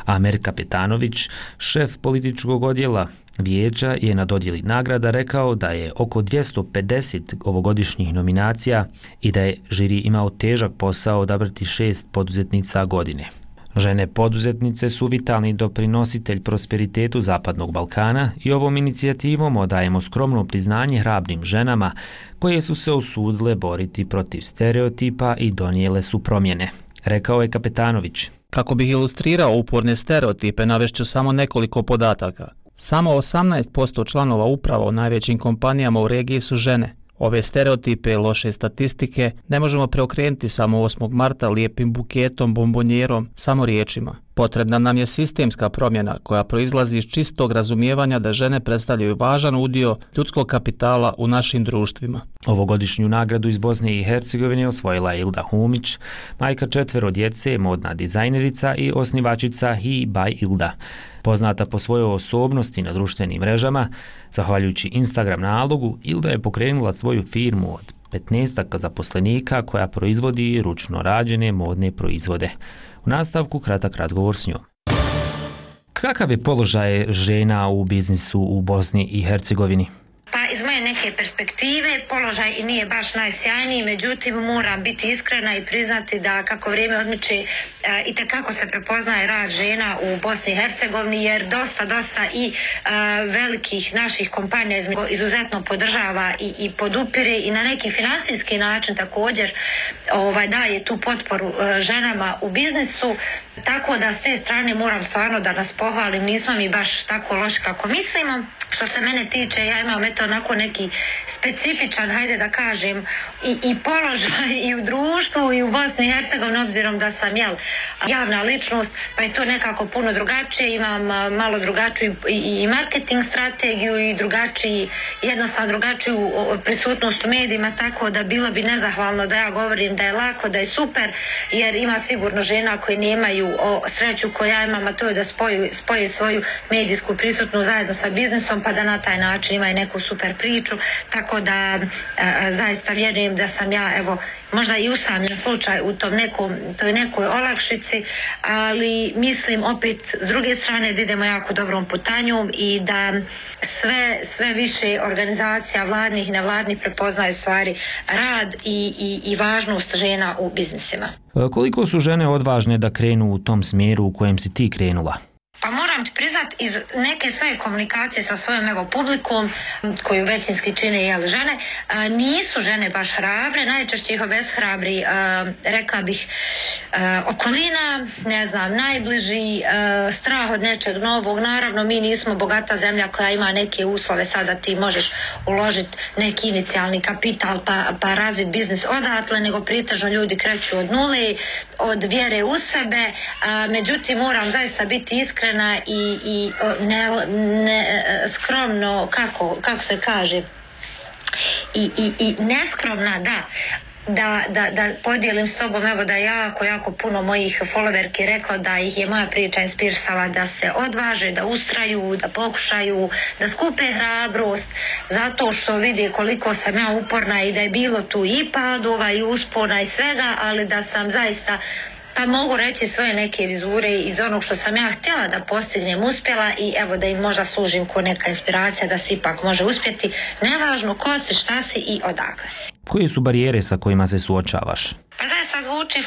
Speaker 12: Amer Kapetanović, šef političkog odjela Vijeća, je na dodjeli nagrada rekao da je oko 250 ovogodišnjih nominacija i da je žiri imao težak posao odabrati 6 poduzetnica godine. Žene poduzetnice su vitalni doprinositelj prosperitetu Zapadnog Balkana i ovom inicijativom odajemo skromno priznanje hrabrim ženama koje su se usudile boriti protiv stereotipa i donijele su promjene, rekao je Kapetanović.
Speaker 16: Kako bih ilustrirao uporne stereotipe, navešću samo nekoliko podataka. Samo 18% članova uprava u najvećim kompanijama u regiji su žene. Ove stereotipe i loše statistike ne možemo preokrenuti samo 8. marta lijepim buketom, bombonjerom, samo riječima. Potrebna nam je sistemska promjena koja proizlazi iz čistog razumijevanja da žene predstavljaju važan udio ljudskog kapitala u našim društvima.
Speaker 12: Ovogodišnju nagradu iz Bosne i Hercegovine osvojila je Ilda Humić, majka 4 djece, modna dizajnerica i osnivačica He by Ilda. Poznata po svojoj osobnosti na društvenim mrežama, zahvaljujući Instagram nalogu, Ilda je pokrenula svoju firmu od 15 zaposlenika koja proizvodi ručno rađene modne proizvode. U nastavku kratak razgovor s njom. Kakav je položaj žena u biznisu u Bosni i Hercegovini?
Speaker 14: Pa iz moje neke perspektive položaj i nije baš najsjajniji, međutim moram biti iskrena i priznati da kako vrijeme odmiče i tekako se prepoznaje rad žena u Bosni i Hercegovini, jer dosta i velikih naših kompanija izuzetno podržava i podupire i na neki finansijski način također daje tu potporu ženama u biznisu, tako da s te strane moram stvarno da nas pohvalim, nismo mi baš tako loši kako mislimo. Što se mene tiče, ja imam onako neki specifičan, hajde da kažem, i položaj i u društvu i u Bosni i Hercegovini, obzirom da sam javna ličnost, pa je to nekako puno drugačije, imam malo drugačiju i marketing strategiju i jednostavno drugačiju prisutnost u medijima, tako da bilo bi nezahvalno da ja govorim da je lako, da je super, jer ima sigurno žena koje nemaju sreću koju ja imam, a to je da spoje svoju medijsku prisutnost zajedno sa biznisom, pa da na taj način imaju neku super priču, tako da zaista vjerujem da sam ja, možda i usamljen slučaj u toj nekoj olakšici, ali mislim opet s druge strane da idemo jako dobrom putanjom i da sve više organizacija vladnih i nevladnih prepoznaju stvari rad i važnost žena u biznisima.
Speaker 12: Koliko su žene odvažne da krenu u tom smjeru u kojem si ti krenula?
Speaker 14: Pa moram ti priznat, iz neke svoje komunikacije sa svojom publikom, koju većinski čine žene, nisu žene baš hrabre, najčešće ih obeshrabri, rekla bih, okolina, ne znam, najbliži, strah od nečeg novog. Naravno, mi nismo bogata zemlja koja ima neke uslove, sada ti možeš uložiti neki inicijalni kapital pa razviti biznis odatle, nego pretežno ljudi kreću od nule, od vjere u sebe, međutim moram zaista biti iskrena i skromno, kako se kaže, i neskromna, da podijelim s tobom, da je jako puno mojih followerki reklo da ih je moja priča inspirisala da se odvaže, da ustraju, da pokušaju, da skupe hrabrost, zato što vide koliko sam ja uporna i da je bilo tu i padova i uspona i svega, ali da sam zaista, pa mogu reći, svoje neke vizure iz onog što sam ja htjela da postignem uspjela i da im možda služim ko neka inspiracija da se ipak može uspjeti, nevažno ko si, šta si i odakle si.
Speaker 12: Koje su barijere sa kojima se suočavaš?
Speaker 14: Pa zaista zvuči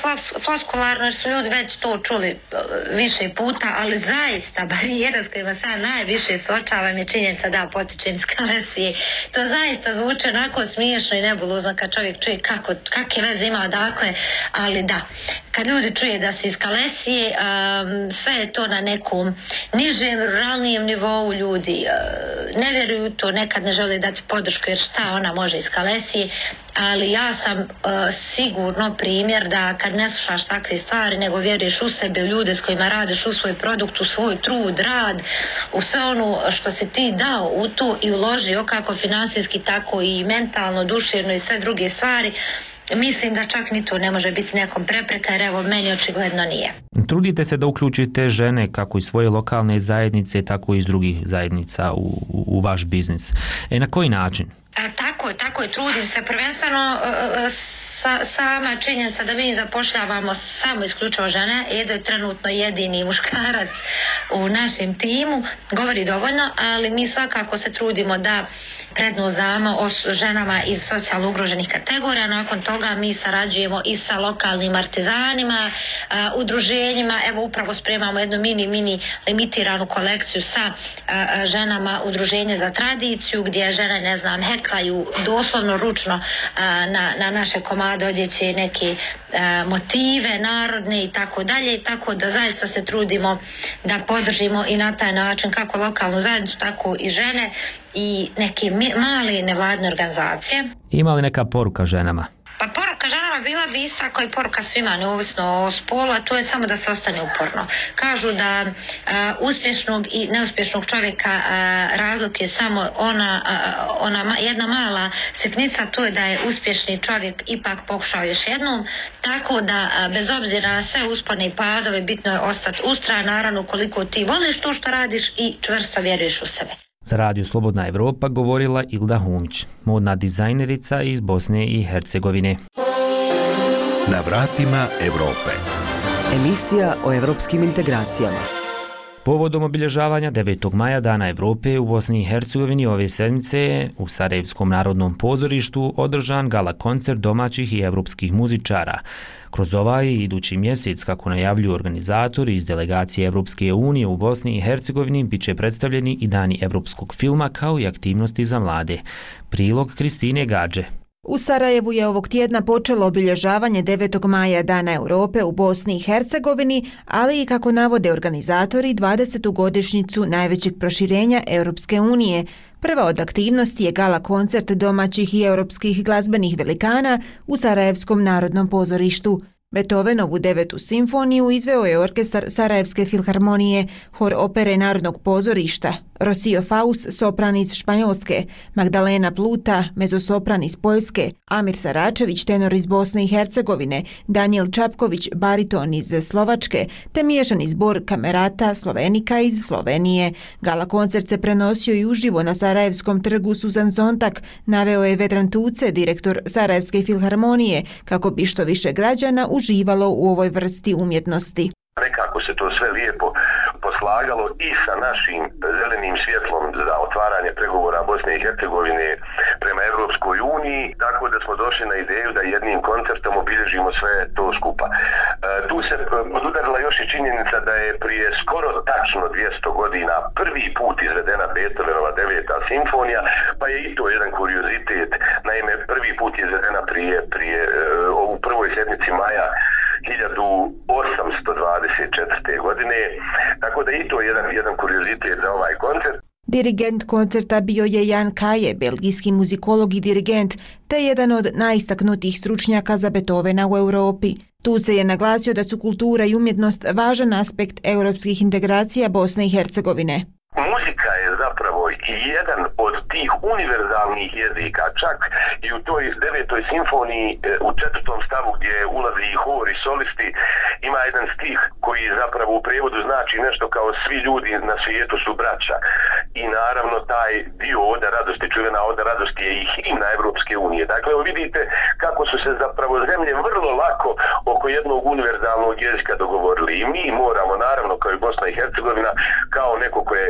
Speaker 14: floskularno jer su ljudi već to čuli više puta, ali zaista barijera s kojima sad najviše suočavam je činjenica da potičem iz Kalesije. To zaista zvuči onako smiješno i nebulozno kad čovjek čuje kakve veze ima odakle, ali da. Kad ljudi čuje da si iz Kalesije, sve je to na nekom nižem, ruralnijem nivou, ljudi ne vjeruju to, nekad ne žele dati podršku jer šta ona može iz Kalesije, ali ja sam sigurno primjer da kad ne slušaš takve stvari nego vjeruješ u sebe, u ljude s kojima radiš, u svoj produkt, u svoj trud, rad, u sve ono što si ti dao u to i uložio kako financijski tako i mentalno, duševno i sve druge stvari, mislim da čak ni to ne može biti nekom prepreka jer meni očigledno nije.
Speaker 12: Trudite se da uključite žene kako iz svoje lokalne zajednice tako i iz drugih zajednica u vaš biznis. Na koji način?
Speaker 14: Tako je, trudim se prvenstveno sama činjenica da mi zapošljavamo samo isključivo žene, Edo je trenutno jedini muškarac u našem timu, govori dovoljno, ali mi svakako se trudimo da prednost damo ženama iz socijalno ugroženih kategorija. Nakon toga mi sarađujemo i sa lokalnim artizanima, udruženjima, upravo spremamo jednu mini limitiranu kolekciju sa ženama udruženje za tradiciju gdje žene, ne znam, heklaju doslovno ručno na naše komade odjeće neke motive narodne i tako dalje, tako da zaista se trudimo da podržimo i na taj način kako lokalnu zajednicu, tako i žene i neke male nevladne organizacije.
Speaker 12: Ima li neka poruka ženama?
Speaker 14: Pa poruka ženama bila bi ista kao i poruka svima, neovisno o spolu, a to je samo da se ostane uporno. Kažu da uspješnog i neuspješnog čovjeka razlik je samo ona jedna mala sitnica, to je da je uspješni čovjek ipak pokušao još jednom, tako da bez obzira na sve uspone i padove bitno je ostati ustrajan, naravno koliko ti voliš to što radiš i čvrsto vjeruješ u sebe.
Speaker 12: Za Radio Slobodna Evropa govorila Ilda Humić, modna dizajnerica iz Bosne i Hercegovine.
Speaker 10: Na vratima Evrope.
Speaker 11: Emisija o evropskim integracijama.
Speaker 12: Povodom obilježavanja 9. maja Dana Evrope u Bosni i Hercegovini ove sedmice u Sarajevskom narodnom pozorištu održan gala koncert domaćih i evropskih muzičara. Kroz ovaj i idući mjesec, kako najavljuju organizatori iz delegacije Evropske unije u Bosni i Hercegovini, bit će predstavljeni i dani evropskog filma kao i aktivnosti za mlade. Prilog Kristine Gađe.
Speaker 2: U Sarajevu je ovog tjedna počelo obilježavanje 9. maja Dana Europe u Bosni i Hercegovini, ali i kako navode organizatori 20. godišnjicu najvećeg proširenja Europske unije. Prva od aktivnosti je gala koncert domaćih i europskih glazbenih velikana u Sarajevskom narodnom pozorištu. Beethovenovu 9. simfoniju izveo je orkestar Sarajevske filharmonije, hor opere Narodnog pozorišta, Rosio Faus, sopran iz Španjolske, Magdalena Pluta, mezosopran iz Poljske, Amir Saračević, tenor iz Bosne i Hercegovine, Daniel Čapković, bariton iz Slovačke, te miješani zbor kamerata Slovenika iz Slovenije. Gala koncert se prenosio i uživo na Sarajevskom trgu Suzan Zontak, naveo je Vedran Tuce, direktor Sarajevske filharmonije, kako bi što više građana uživalo u ovoj vrsti umjetnosti.
Speaker 13: Nekako se to sve lijepo poslagalo i sa našim zelenim svjetlom za otvaranje pregovora Bosne i Hercegovine prema Europskoj uniji, tako da smo došli na ideju da jednim koncertom obilježimo sve to skupa. Tu se odudarila još i činjenica da je prije skoro tačno 200 godina prvi put izvedena Beethovenova 9. simfonija, pa je i to jedan kuriozitet. Naime, prvi put je izvedena prije u prvoj sedmici maja 1824. godine, tako da i to je jedan kuriozitet za ovaj koncert.
Speaker 2: Dirigent koncerta bio je Jan Kaje, belgijski muzikolog i dirigent, te jedan od najistaknutijih stručnjaka za Beethovena u Europi. Tuce je naglasio da su kultura i umjetnost važan aspekt europskih integracija Bosne i Hercegovine.
Speaker 13: Muzika je zapravo jedan od tih univerzalnih jezika, čak i u toj 9. simfoniji u 4. stavu gdje ulazi i hor i solisti ima jedan stih koji zapravo u prijevodu znači nešto kao svi ljudi na svijetu su braća. I naravno taj dio Oda radosti, čuvena Oda radosti je i himna Evropske unije. Dakle, vidite kako su se zapravo zemlje vrlo lako oko jednog univerzalnog jezika dogovorili. I mi moramo, naravno, kao i Bosna i Hercegovina, kao neko ko je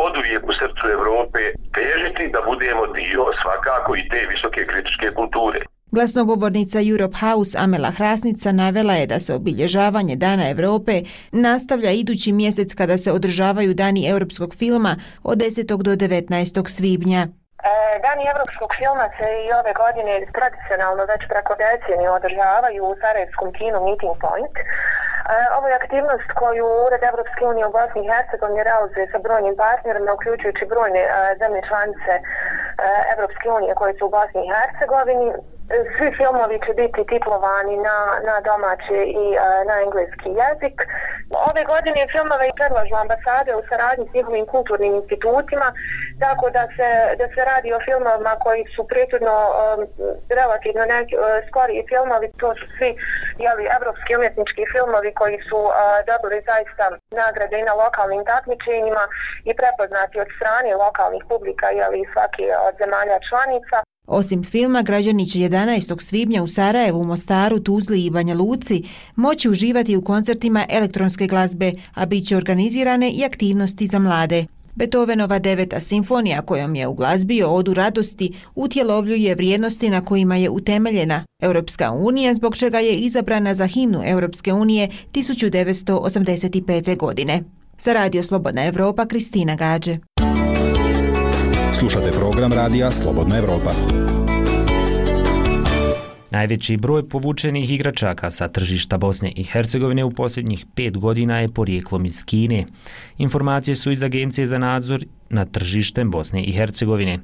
Speaker 13: oduvijek u srcu Evrope, težiti da budemo dio svakako i te visoke kritičke kulture.
Speaker 2: Glasnogovornica Europe House Amela Hrasnica navela je da se obilježavanje Dana Europe nastavlja idući mjesec kada se održavaju Dani europskog filma od 10. do 19. svibnja.
Speaker 17: Dani europskog filma se i ove godine tradicionalno već preko decenije održavaju u Sarajevskom kinu Meeting Point. Ovo je aktivnost koju Ured Evropske unije u Bosni i Hercegovini realizuje sa brojnim partnerima, uključujući brojne zemlje članice Evropske unije koje su u Bosni i Hercegovini. Svi filmovi će biti titlovani na domaći i na engleski jezik. Ove godine filmove i predlažu ambasade u saradnji s njihovim kulturnim institutima, tako da se radi o filmovima koji su prethodno relativno skoriji filmovi. To su svi evropski umjetnički filmovi koji su dobili zaista nagrade i na lokalnim takmičenjima i prepoznati od strane lokalnih publika svake od zemalja članica.
Speaker 2: Osim filma, građani će 11. svibnja u Sarajevu, Mostaru, Tuzli i Banja Luci moći uživati u koncertima elektronske glazbe, a bit će organizirane i aktivnosti za mlade. Beethovenova 9. simfonija, kojom je uglazbio Odu radosti, utjelovljuje vrijednosti na kojima je utemeljena Europska unija, zbog čega je izabrana za himnu Europske unije 1985. godine. Za Radio Slobodna Evropa, Kristina Gađe.
Speaker 20: Slušate program radija Slobodna Evropa.
Speaker 12: Najveći broj povučenih igračaka sa tržišta Bosne i Hercegovine u posljednjih 5 godina je porijeklom iz Kine. Informacije su iz Agencije za nadzor nad tržištem Bosne i Hercegovine.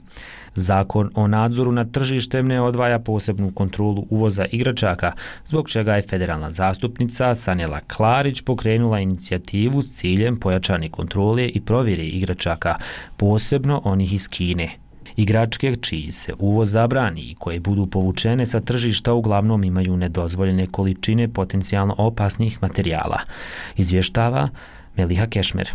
Speaker 12: Zakon o nadzoru nad tržištem ne odvaja posebnu kontrolu uvoza igračaka, zbog čega je federalna zastupnica Sanela Klarić pokrenula inicijativu s ciljem pojačane kontrole i provjere igračaka, posebno onih iz Kine. Igračke čiji se uvoz zabrani i koje budu povučene sa tržišta uglavnom imaju nedozvoljene količine potencijalno opasnih materijala, izvještava Meliha Kešmer.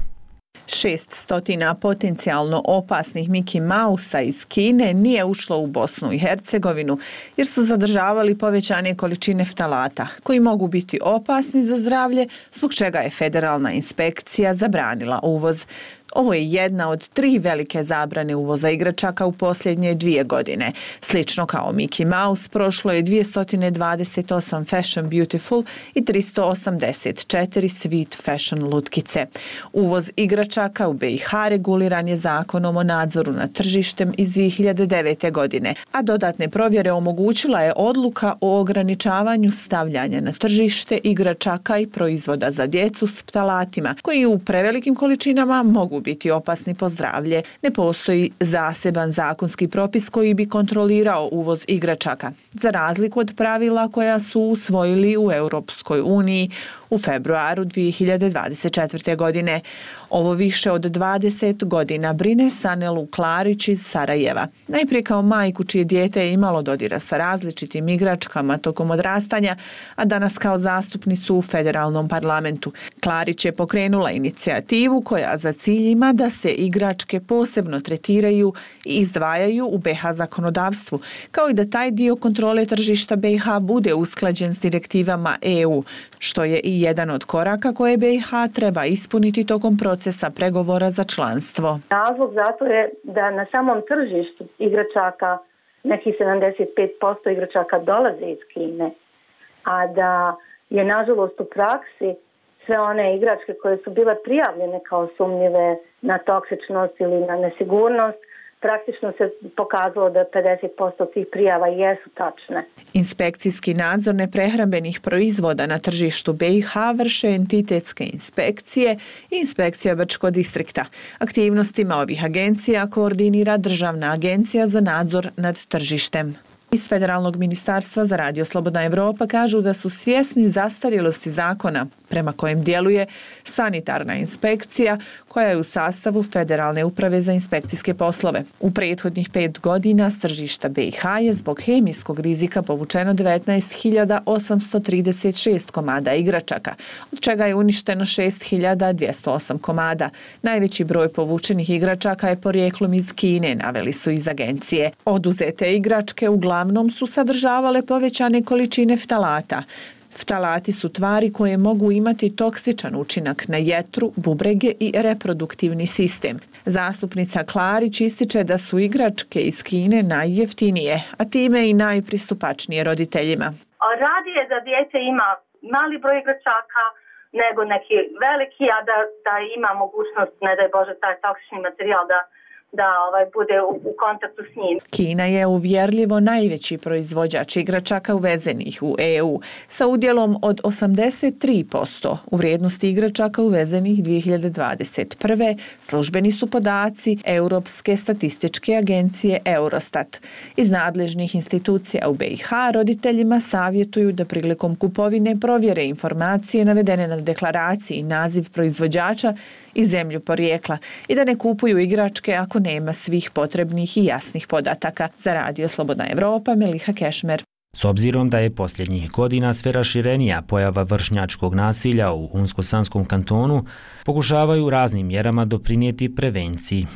Speaker 21: 600 potencijalno opasnih Mickey Mausa iz Kine nije ušlo u Bosnu i Hercegovinu jer su zadržavali povećane količine ftalata koji mogu biti opasni za zdravlje, zbog čega je federalna inspekcija zabranila uvoz. Ovo je jedna od 3 velike zabrane uvoza igračaka u posljednje 2 godine. Slično kao Mickey Mouse, prošlo je 228 Fashion Beautiful i 384 Sweet Fashion lutkice. Uvoz igračaka u BiH reguliran je zakonom o nadzoru nad tržištem iz 2009. godine, a dodatne provjere omogućila je odluka o ograničavanju stavljanja na tržište igračaka i proizvoda za djecu s ftalatima, koji u prevelikim količinama mogu biti opasni po zdravlje. Ne postoji zaseban zakonski propis koji bi kontrolirao uvoz igračaka, za razliku od pravila koja su usvojili u Europskoj uniji u februaru 2024. godine. Ovo više od 20 godina brine Sanelu Klarić iz Sarajeva. Najprije kao majku čije dijete je imalo dodira sa različitim igračkama tokom odrastanja, a danas kao zastupnicu u federalnom parlamentu. Klarić je pokrenula inicijativu koja za cilj ima da se igračke posebno tretiraju i izdvajaju u BiH zakonodavstvu, kao i da taj dio kontrole tržišta BiH bude usklađen s direktivama EU, što je i jedan od koraka koje BiH treba ispuniti tokom procesa pregovora za članstvo.
Speaker 15: Razlog zato je da na samom tržištu igračaka, nekih 75% igračaka dolaze iz Kine, a da je nažalost u praksi sve one igračke koje su bile prijavljene kao sumnjive na toksičnost ili na nesigurnost, praktično se pokazalo da 50% tih prijava jesu tačne.
Speaker 21: Inspekcijski nadzor neprehrambenih proizvoda na tržištu BiH vrše entitetske inspekcije i inspekcija Brčkog distrikta. Aktivnostima ovih agencija koordinira Državna agencija za nadzor nad tržištem. Iz Federalnog ministarstva za Radio Slobodna Evropa kažu da su svjesni zastarjelosti zakona prema kojem djeluje sanitarna inspekcija koja je u sastavu Federalne uprave za inspekcijske poslove. U prethodnih 5 godina s tržišta BiH je zbog hemijskog rizika povučeno 19.836 komada igračaka, od čega je uništeno 6.208 komada. Najveći broj povučenih igračaka je porijeklom iz Kine, naveli su iz agencije. Oduzete igračke uglavnom su sadržavale povećane količine ftalata. Ftalati su tvari koje mogu imati toksičan učinak na jetru, bubrege i reproduktivni sistem. Zastupnica Klarić ističe da su igračke iz Kine najjeftinije, a time i najpristupačnije roditeljima.
Speaker 15: Radije da dijete ima mali broj igračaka nego neki veliki, a da ima mogućnost, ne daj Bože, taj toksični materijal da bude u kontaktu s njim.
Speaker 21: Kina je uvjerljivo najveći proizvođač igračaka uvezenih u EU sa udjelom od 83% u vrijednosti igračaka uvezenih 2021. Službeni su podaci Europske statističke agencije Eurostat. Iz nadležnih institucija u BiH roditeljima savjetuju da prilikom kupovine provjere informacije navedene na deklaraciji i naziv proizvođača i zemlju porijekla i da ne kupuju igračke ako nema svih potrebnih i jasnih podataka. Za Radio Slobodna Evropa, Meliha Kešmer.
Speaker 12: S obzirom da je posljednjih godina sve raširenija pojava vršnjačkog nasilja u Unsko-Sanskom kantonu, pokušavaju raznim mjerama doprinijeti prevenciji.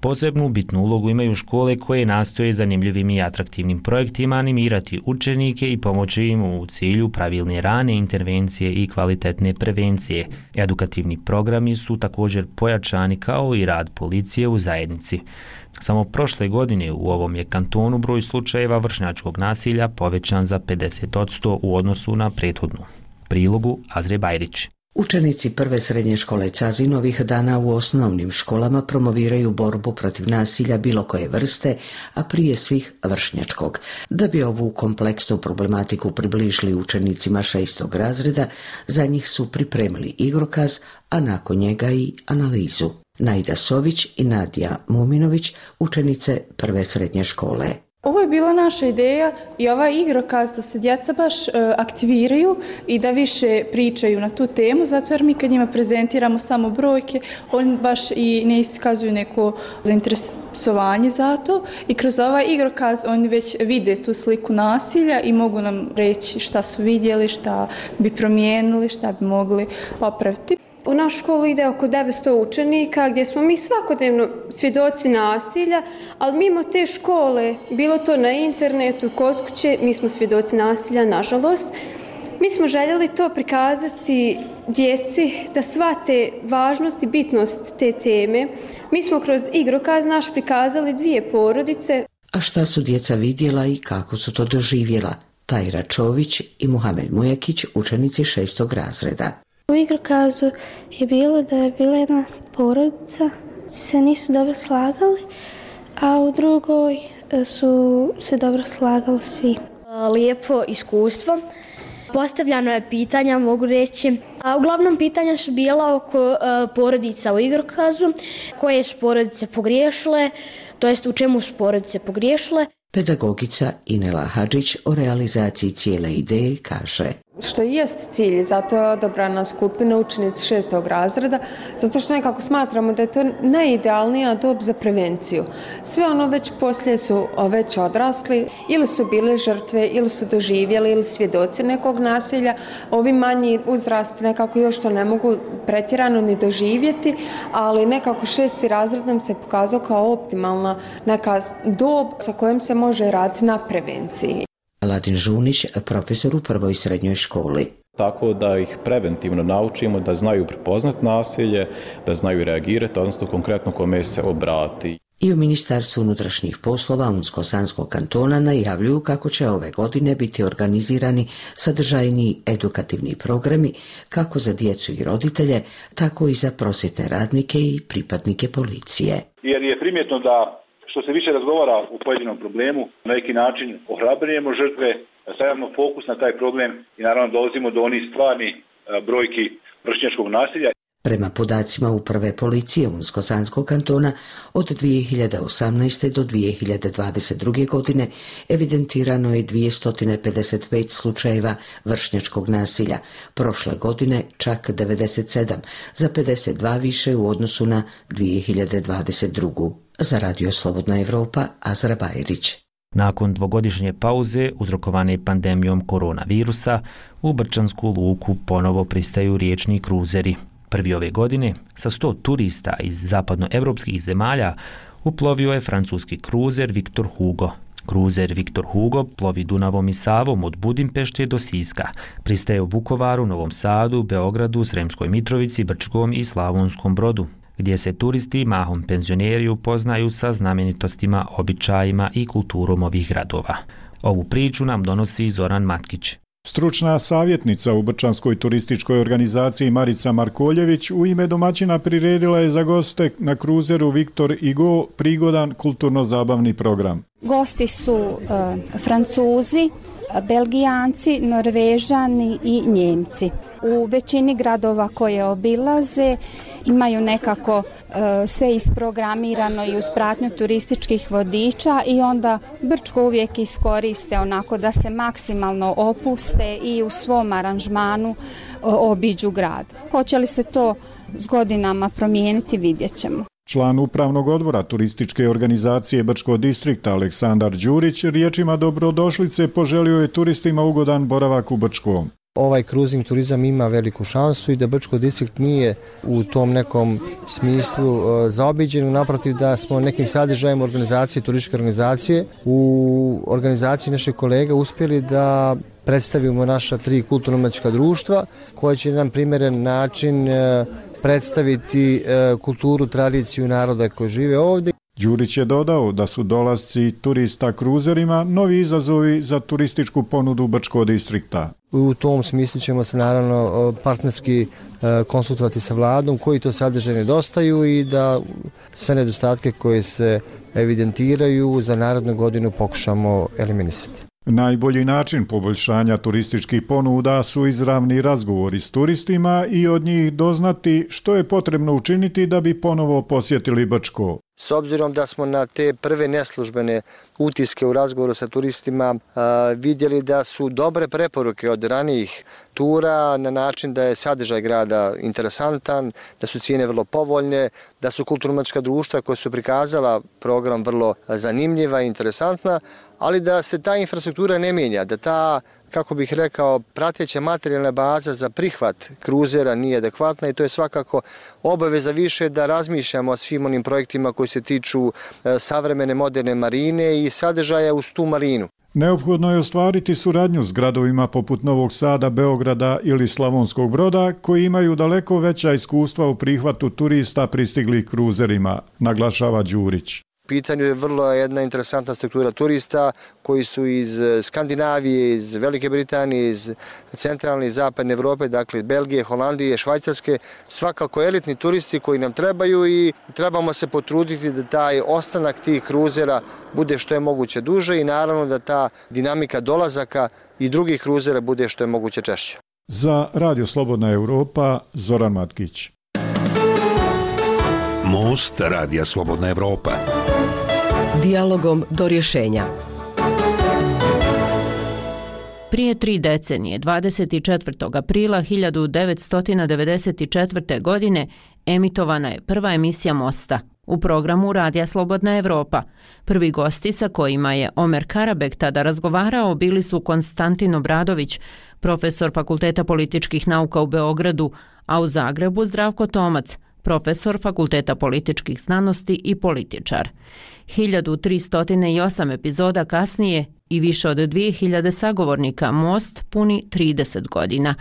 Speaker 12: Posebnu bitnu ulogu imaju škole koje nastoje zanimljivim i atraktivnim projektima animirati učenike i pomoći im u cilju pravilne rane intervencije i kvalitetne prevencije. Edukativni programi su također pojačani kao i rad policije u zajednici. Samo prošle godine u ovom je kantonu broj slučajeva vršnjačkog nasilja povećan za 50% u odnosu na prethodnu. Prilogu Azre Bajrić.
Speaker 19: Učenici prve srednje škole Cazin ovih dana u osnovnim školama promoviraju borbu protiv nasilja bilo koje vrste, a prije svih vršnjačkog. Da bi ovu kompleksnu problematiku približili učenicima 6. razreda, za njih su pripremili igrokaz, a nakon njega i analizu. Naida Sović i Nadija Muminović, učenice prve srednje škole.
Speaker 22: Ovo je bila naša ideja i ovaj igrokaz da se djeca baš aktiviraju i da više pričaju na tu temu, zato jer mi kad njima prezentiramo samo brojke, oni baš i ne iskazuju neko zainteresovanje za to i kroz ovaj igrokaz oni već vide tu sliku nasilja i mogu nam reći šta su vidjeli, šta bi promijenili, šta bi mogli popraviti.
Speaker 23: U našu školu ide oko 900 učenika gdje smo mi svakodnevno svjedoci nasilja, ali mimo te škole, bilo to na internetu, kod kuće, mi smo svjedoci nasilja, nažalost. Mi smo željeli to prikazati djeci da shvate važnost i bitnost te teme. Mi smo kroz igrokaz naš prikazali 2 porodice.
Speaker 19: A šta su djeca vidjela i kako su to doživjela? Tajra Čović i Muhamed Mujakić, učenici 6. razreda.
Speaker 4: U igrokazu je bilo da je bila jedna porodica, se nisu dobro slagali, a u drugoj su se dobro slagali svi.
Speaker 5: Lijepo iskustvo. Postavljano je pitanja, mogu reći. Uglavnom pitanja su bila oko porodica u igrokazu, koje su porodice pogriješile, to jest u čemu su porodice pogriješile.
Speaker 19: Pedagogica Inela Hadžić o realizaciji cijele ideje kaže:
Speaker 18: Što jest cilj, zato je odabrana skupina učenici 6. razreda, zato što nekako smatramo da je to najidealnija dob za prevenciju. Sve ono već poslije su već odrasli, ili su bile žrtve, ili su doživjeli, ili svjedoci nekog nasilja. Ovi manji uzrasti nekako još to ne mogu pretjerano ni doživjeti, ali nekako 6. razred nam se pokazao kao optimalna neka dob sa kojom se može raditi na prevenciji.
Speaker 19: Ladin Žunić, profesor u 1. srednjoj školi.
Speaker 24: Tako da ih preventivno naučimo da znaju prepoznati nasilje, da znaju reagirati, odnosno konkretno kome se obrati.
Speaker 19: I u Ministarstvu unutrašnjih poslova Unsko-Sanskog kantona najavljuju kako će ove godine biti organizirani sadržajni edukativni programi kako za djecu i roditelje, tako i za prosvjetne radnike i pripadnike policije.
Speaker 25: Jer je primjetno da što se više razgovara u pojedinom problemu, na neki način ohrabrujemo žrtve, stavljamo fokus na taj problem i naravno dolazimo do onih stvarnih brojki vršnjačkog nasilja.
Speaker 19: Prema podacima Uprave policije Unsko-Sanskog kantona, od 2018. do 2022. godine evidentirano je 255 slučajeva vršnjačkog nasilja. Prošle godine čak 97, za 52 više u odnosu na 2022. Za Radio Slobodna Evropa, Azra Bajrić.
Speaker 12: Nakon 2-godišnje pauze uzrokovane pandemijom koronavirusa, u Brčansku luku ponovo pristaju riječni kruzeri. Prvi ove godine, sa 100 turista iz zapadnoevropskih zemalja, uplovio je francuski kruzer Victor Hugo. Kruzer Victor Hugo plovi Dunavom i Savom od Budimpešte do Siska. Pristaje u Vukovaru, Novom Sadu, Beogradu, Sremskoj Mitrovici, Brčkom i Slavonskom Brodu, gdje se turisti, mahom penzioneri, upoznaju sa znamenitostima, običajima i kulturom ovih gradova. Ovu priču nam donosi Zoran Matkić.
Speaker 26: Stručna savjetnica u Brčanskoj turističkoj organizaciji Marica Markoljević u ime domaćina priredila je za goste na kruzeru Victor Hugo prigodan kulturno-zabavni program.
Speaker 4: Gosti su Francuzi, Belgijanci, Norvežani i Njemci. U većini gradova koje obilaze imaju nekako sve isprogramirano i uz pratnju turističkih vodiča i onda Brčko uvijek iskoriste onako da se maksimalno opuste i u svom aranžmanu obiđu grad. Hoće li se to s godinama promijeniti, vidjet ćemo.
Speaker 26: Član upravnog odbora turističke organizacije Brčko distrikta Aleksandar Đurić riječima dobrodošlice poželio je turistima ugodan boravak u Brčkom.
Speaker 27: Ovaj kruzing turizam ima veliku šansu i da Brčko distrikt nije u tom nekom smislu zaobiđen, naprotiv da smo nekim sadržajem organizacije, turističke organizacije u organizaciji naših kolega uspjeli da predstavimo naša 3 kulturno-umetnička društva koje će na jedan primjeren način predstaviti kulturu, tradiciju naroda koji žive ovdje.
Speaker 26: Đurić je dodao da su dolasci turista kruzerima novi izazovi za turističku ponudu Brčkog distrikta.
Speaker 27: U tom smislu ćemo se naravno partnerski konsultovati sa vladom koji to sadržaj nedostaju i da sve nedostatke koje se evidentiraju za narednu godinu pokušamo eliminisati.
Speaker 26: Najbolji način poboljšanja turističkih ponuda su izravni razgovori s turistima i od njih doznati što je potrebno učiniti da bi ponovo posjetili Brčko.
Speaker 27: S obzirom da smo na te prve neslužbene utiske u razgovoru sa turistima vidjeli da su dobre preporuke od ranijih tura na način da je sadržaj grada interesantan, da su cijene vrlo povoljne, da su kulturno-umetnička društva koja su prikazala program vrlo zanimljiva i interesantna, ali da se ta infrastruktura ne mijenja, da ta, kako bih rekao, prateća materijalna baza za prihvat kruzera nije adekvatna i to je svakako obaveza više da razmišljamo o svim onim projektima koji se tiču savremene moderne marine i sadržaja uz tu marinu.
Speaker 26: Neophodno je ostvariti suradnju s gradovima poput Novog Sada, Beograda ili Slavonskog Broda, koji imaju daleko veća iskustva u prihvatu turista pristiglih kruzerima, naglašava Đurić.
Speaker 27: U pitanju je vrlo jedna interesantna struktura turista koji su iz Skandinavije, iz Velike Britanije, iz centralne i zapadne Evrope, dakle iz Belgije, Holandije, Švajcarske, svakako elitni turisti koji nam trebaju i trebamo se potruditi da taj ostanak tih kruzera bude što je moguće duže i naravno da ta dinamika dolazaka i drugih kruzera bude što je moguće češće.
Speaker 26: Za Radio Slobodna Evropa, Zoran Matkić.
Speaker 10: Most Radija Slobodna Evropa.
Speaker 11: Dijalogom do rješenja.
Speaker 1: Prije 3 decenije, 24. aprila 1994. godine, emitovana je prva emisija Mosta u programu Radija Slobodna Evropa. Prvi gosti sa kojima je Omer Karabek tada razgovarao bili su Konstantin Obradović, profesor Fakulteta političkih nauka u Beogradu, a u Zagrebu Zdravko Tomac, profesor Fakulteta političkih znanosti i političar. 1308 epizoda kasnije i više od 2000 sagovornika Most puni 30 godina,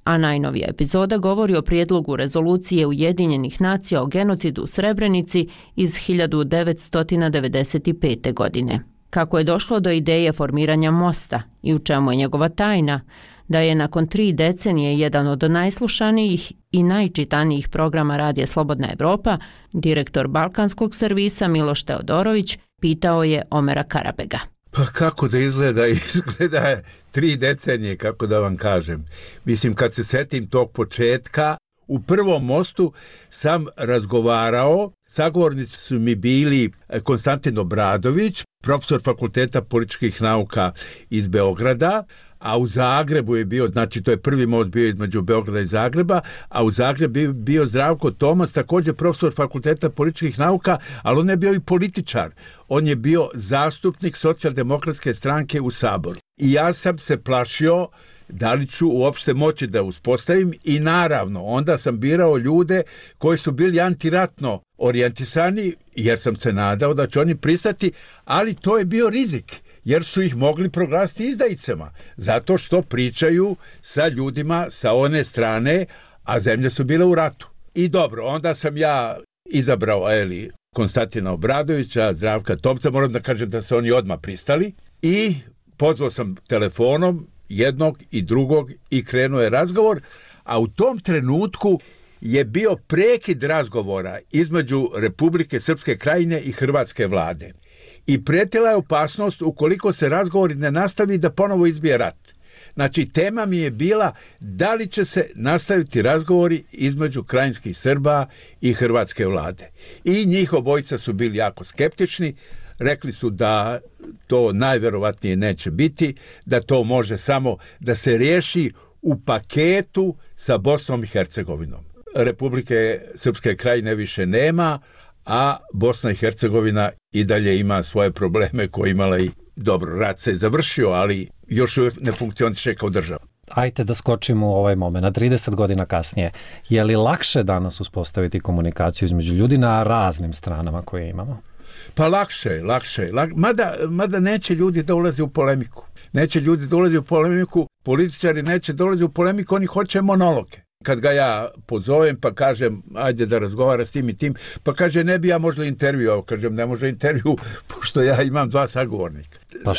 Speaker 1: a najnovija epizoda govori o prijedlogu rezolucije Ujedinjenih nacija o genocidu u Srebrenici iz 1995. godine. Kako je došlo do ideje formiranja Mosta i u čemu je njegova tajna, da je nakon 3 decenije jedan od najslušanijih i najčitanijih programa Radija Slobodna Evropa, direktor Balkanskog servisa Miloš Teodorović pitao je Omera Karabega.
Speaker 3: Pa kako da izgleda? Izgleda je 3 decenije, kako da vam kažem. Mislim, kad se setim tog početka, u prvom Mostu sam razgovarao, sagovornici su mi bili Konstantin Obradović, profesor Fakulteta političkih nauka iz Beograda, a u Zagrebu je bio, znači to je prvi most bio između Beograda i Zagreba, a u Zagrebu je bio Zdravko Tomac, također profesor Fakulteta političkih nauka, ali on je bio i političar. On je bio zastupnik Socijaldemokratske stranke u Saboru. I ja sam se plašio da li ću uopšte moći da uspostavim i naravno onda sam birao ljude koji su bili antiratno orijentisani jer sam se nadao da će oni pristati, ali to je bio rizik jer su ih mogli proglasiti izdajicama zato što pričaju sa ljudima sa one strane, a zemlje su bile u ratu. I dobro, onda sam ja izabrao Konstantina Obradovića, Zdravka Tomca, moram da kažem da se oni odmah pristali i pozvao sam telefonom jednog i drugog i krenuo je razgovor, a u tom trenutku je bio prekid razgovora između Republike Srpske Krajine i Hrvatske vlade. I prijetila je opasnost ukoliko se razgovori ne nastavi da ponovo izbije rat. Znači, tema mi je bila da li će se nastaviti razgovori između krajinskih Srba i Hrvatske vlade. I njih obojica su bili jako skeptični, rekli su da to najverovatnije neće biti, da to može samo da se riješi u paketu sa Bosnom i Hercegovinom. Republike Srpske Krajine više nema, a Bosna i Hercegovina i dalje ima svoje probleme koje imala i dobro, rat se je završio, ali još uvijek ne funkcioniše kao država.
Speaker 6: Ajde da skočimo u ovaj moment, na 30 godina kasnije. Je li lakše danas uspostaviti komunikaciju između ljudi na raznim stranama koje imamo?
Speaker 3: Pa lakše. Mada neće ljudi da ulaze u polemiku. Političari neće dolaze u polemiku, oni hoće monologe. Kad ga ja pozovem pa kažem ajde da razgovara s tim i tim, pa kaže ne bi ja možda intervju, kažem ne može intervju pošto ja imam 2 sagovornika.
Speaker 6: Pa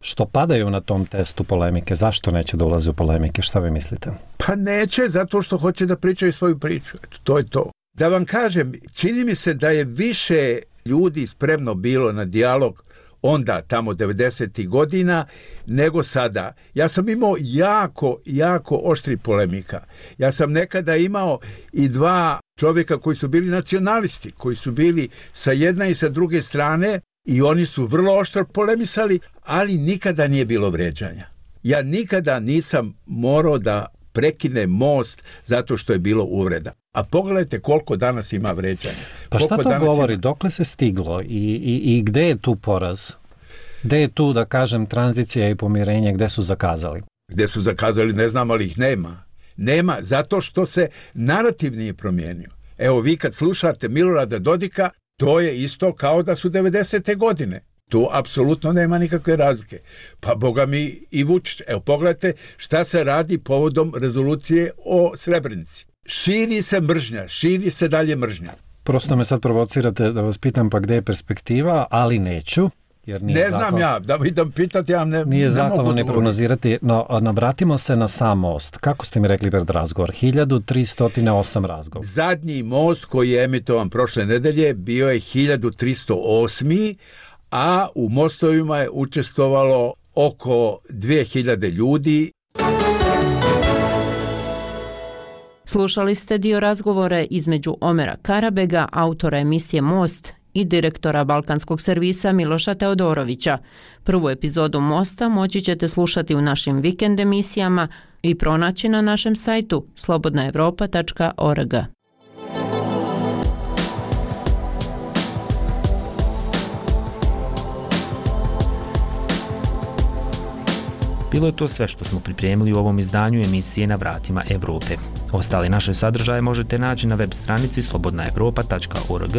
Speaker 6: što padaju na tom testu polemike, zašto neće da ulaze u polemike, šta vi mislite?
Speaker 3: Pa neće, zato što hoće da pričaju svoju priču, eto, to je to. Da vam kažem, čini mi se da je više ljudi spremno bilo na dijalog onda, tamo 90. godina, nego sada. Ja sam imao jako oštri polemika. Ja sam nekada imao i 2 čovjeka koji su bili nacionalisti, koji su bili sa jedne i sa druge strane i oni su vrlo oštro polemisali, ali nikada nije bilo vređanja. Ja nikada nisam morao da prekinem most zato što je bilo uvreda. A pogledajte koliko danas ima vređanja.
Speaker 6: Pa šta to govori? Dokle se stiglo i gde je tu poraz? Gde je tu, da kažem, tranzicija i pomirenje, gde su zakazali?
Speaker 3: Gde su zakazali, ne znam, ali ih nema. Nema, zato što se narativ nije promijenio. Evo, vi kad slušate Milorada Dodika, to je isto kao da su 90. godine. Tu apsolutno nema nikakve razlike. Pa boga mi i Vučić. Evo pogledajte šta se radi povodom rezolucije o Srebrenici. Širi se mržnja, širi se dalje mržnja.
Speaker 6: Prosto me sad provocirate da vas pitam pa gde je perspektiva, ali neću. Jer
Speaker 3: ne znam ja, da idem pitati, ja ne
Speaker 6: nije zakon ne
Speaker 3: prognozirati.
Speaker 6: No, vratimo se na sam most. Kako ste mi rekli pred razgovor? 1308 razgovor.
Speaker 3: Zadnji most koji je emitovan prošle nedelje bio je 1308, a u mostovima je učestvovalo oko 2000 ljudi.
Speaker 1: Slušali ste dio razgovora između Omera Karabega, autora emisije Most, i direktora Balkanskog servisa Miloša Teodorovića. Prvu epizodu Mosta moći ćete slušati u našim vikend emisijama i pronaći na našem sajtu slobodnaevropa.org.
Speaker 12: Bilo je to sve što smo pripremili u ovom izdanju emisije Na vratima Evrope. Ostale naše sadržaje možete naći na web stranici slobodnaevropa.org,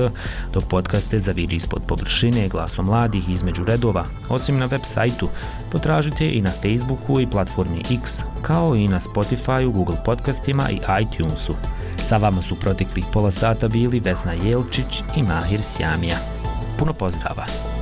Speaker 12: dok podcaste Zaviri ispod površine, Glasom mladih između redova. Osim na web sajtu, potražite i na Facebooku i platformi X, kao i na Spotifyu, Google podcastima i iTunesu. Sa vama su proteklih pola sata bili Vesna Jelčić i Mahir Sjamija. Puno pozdrava!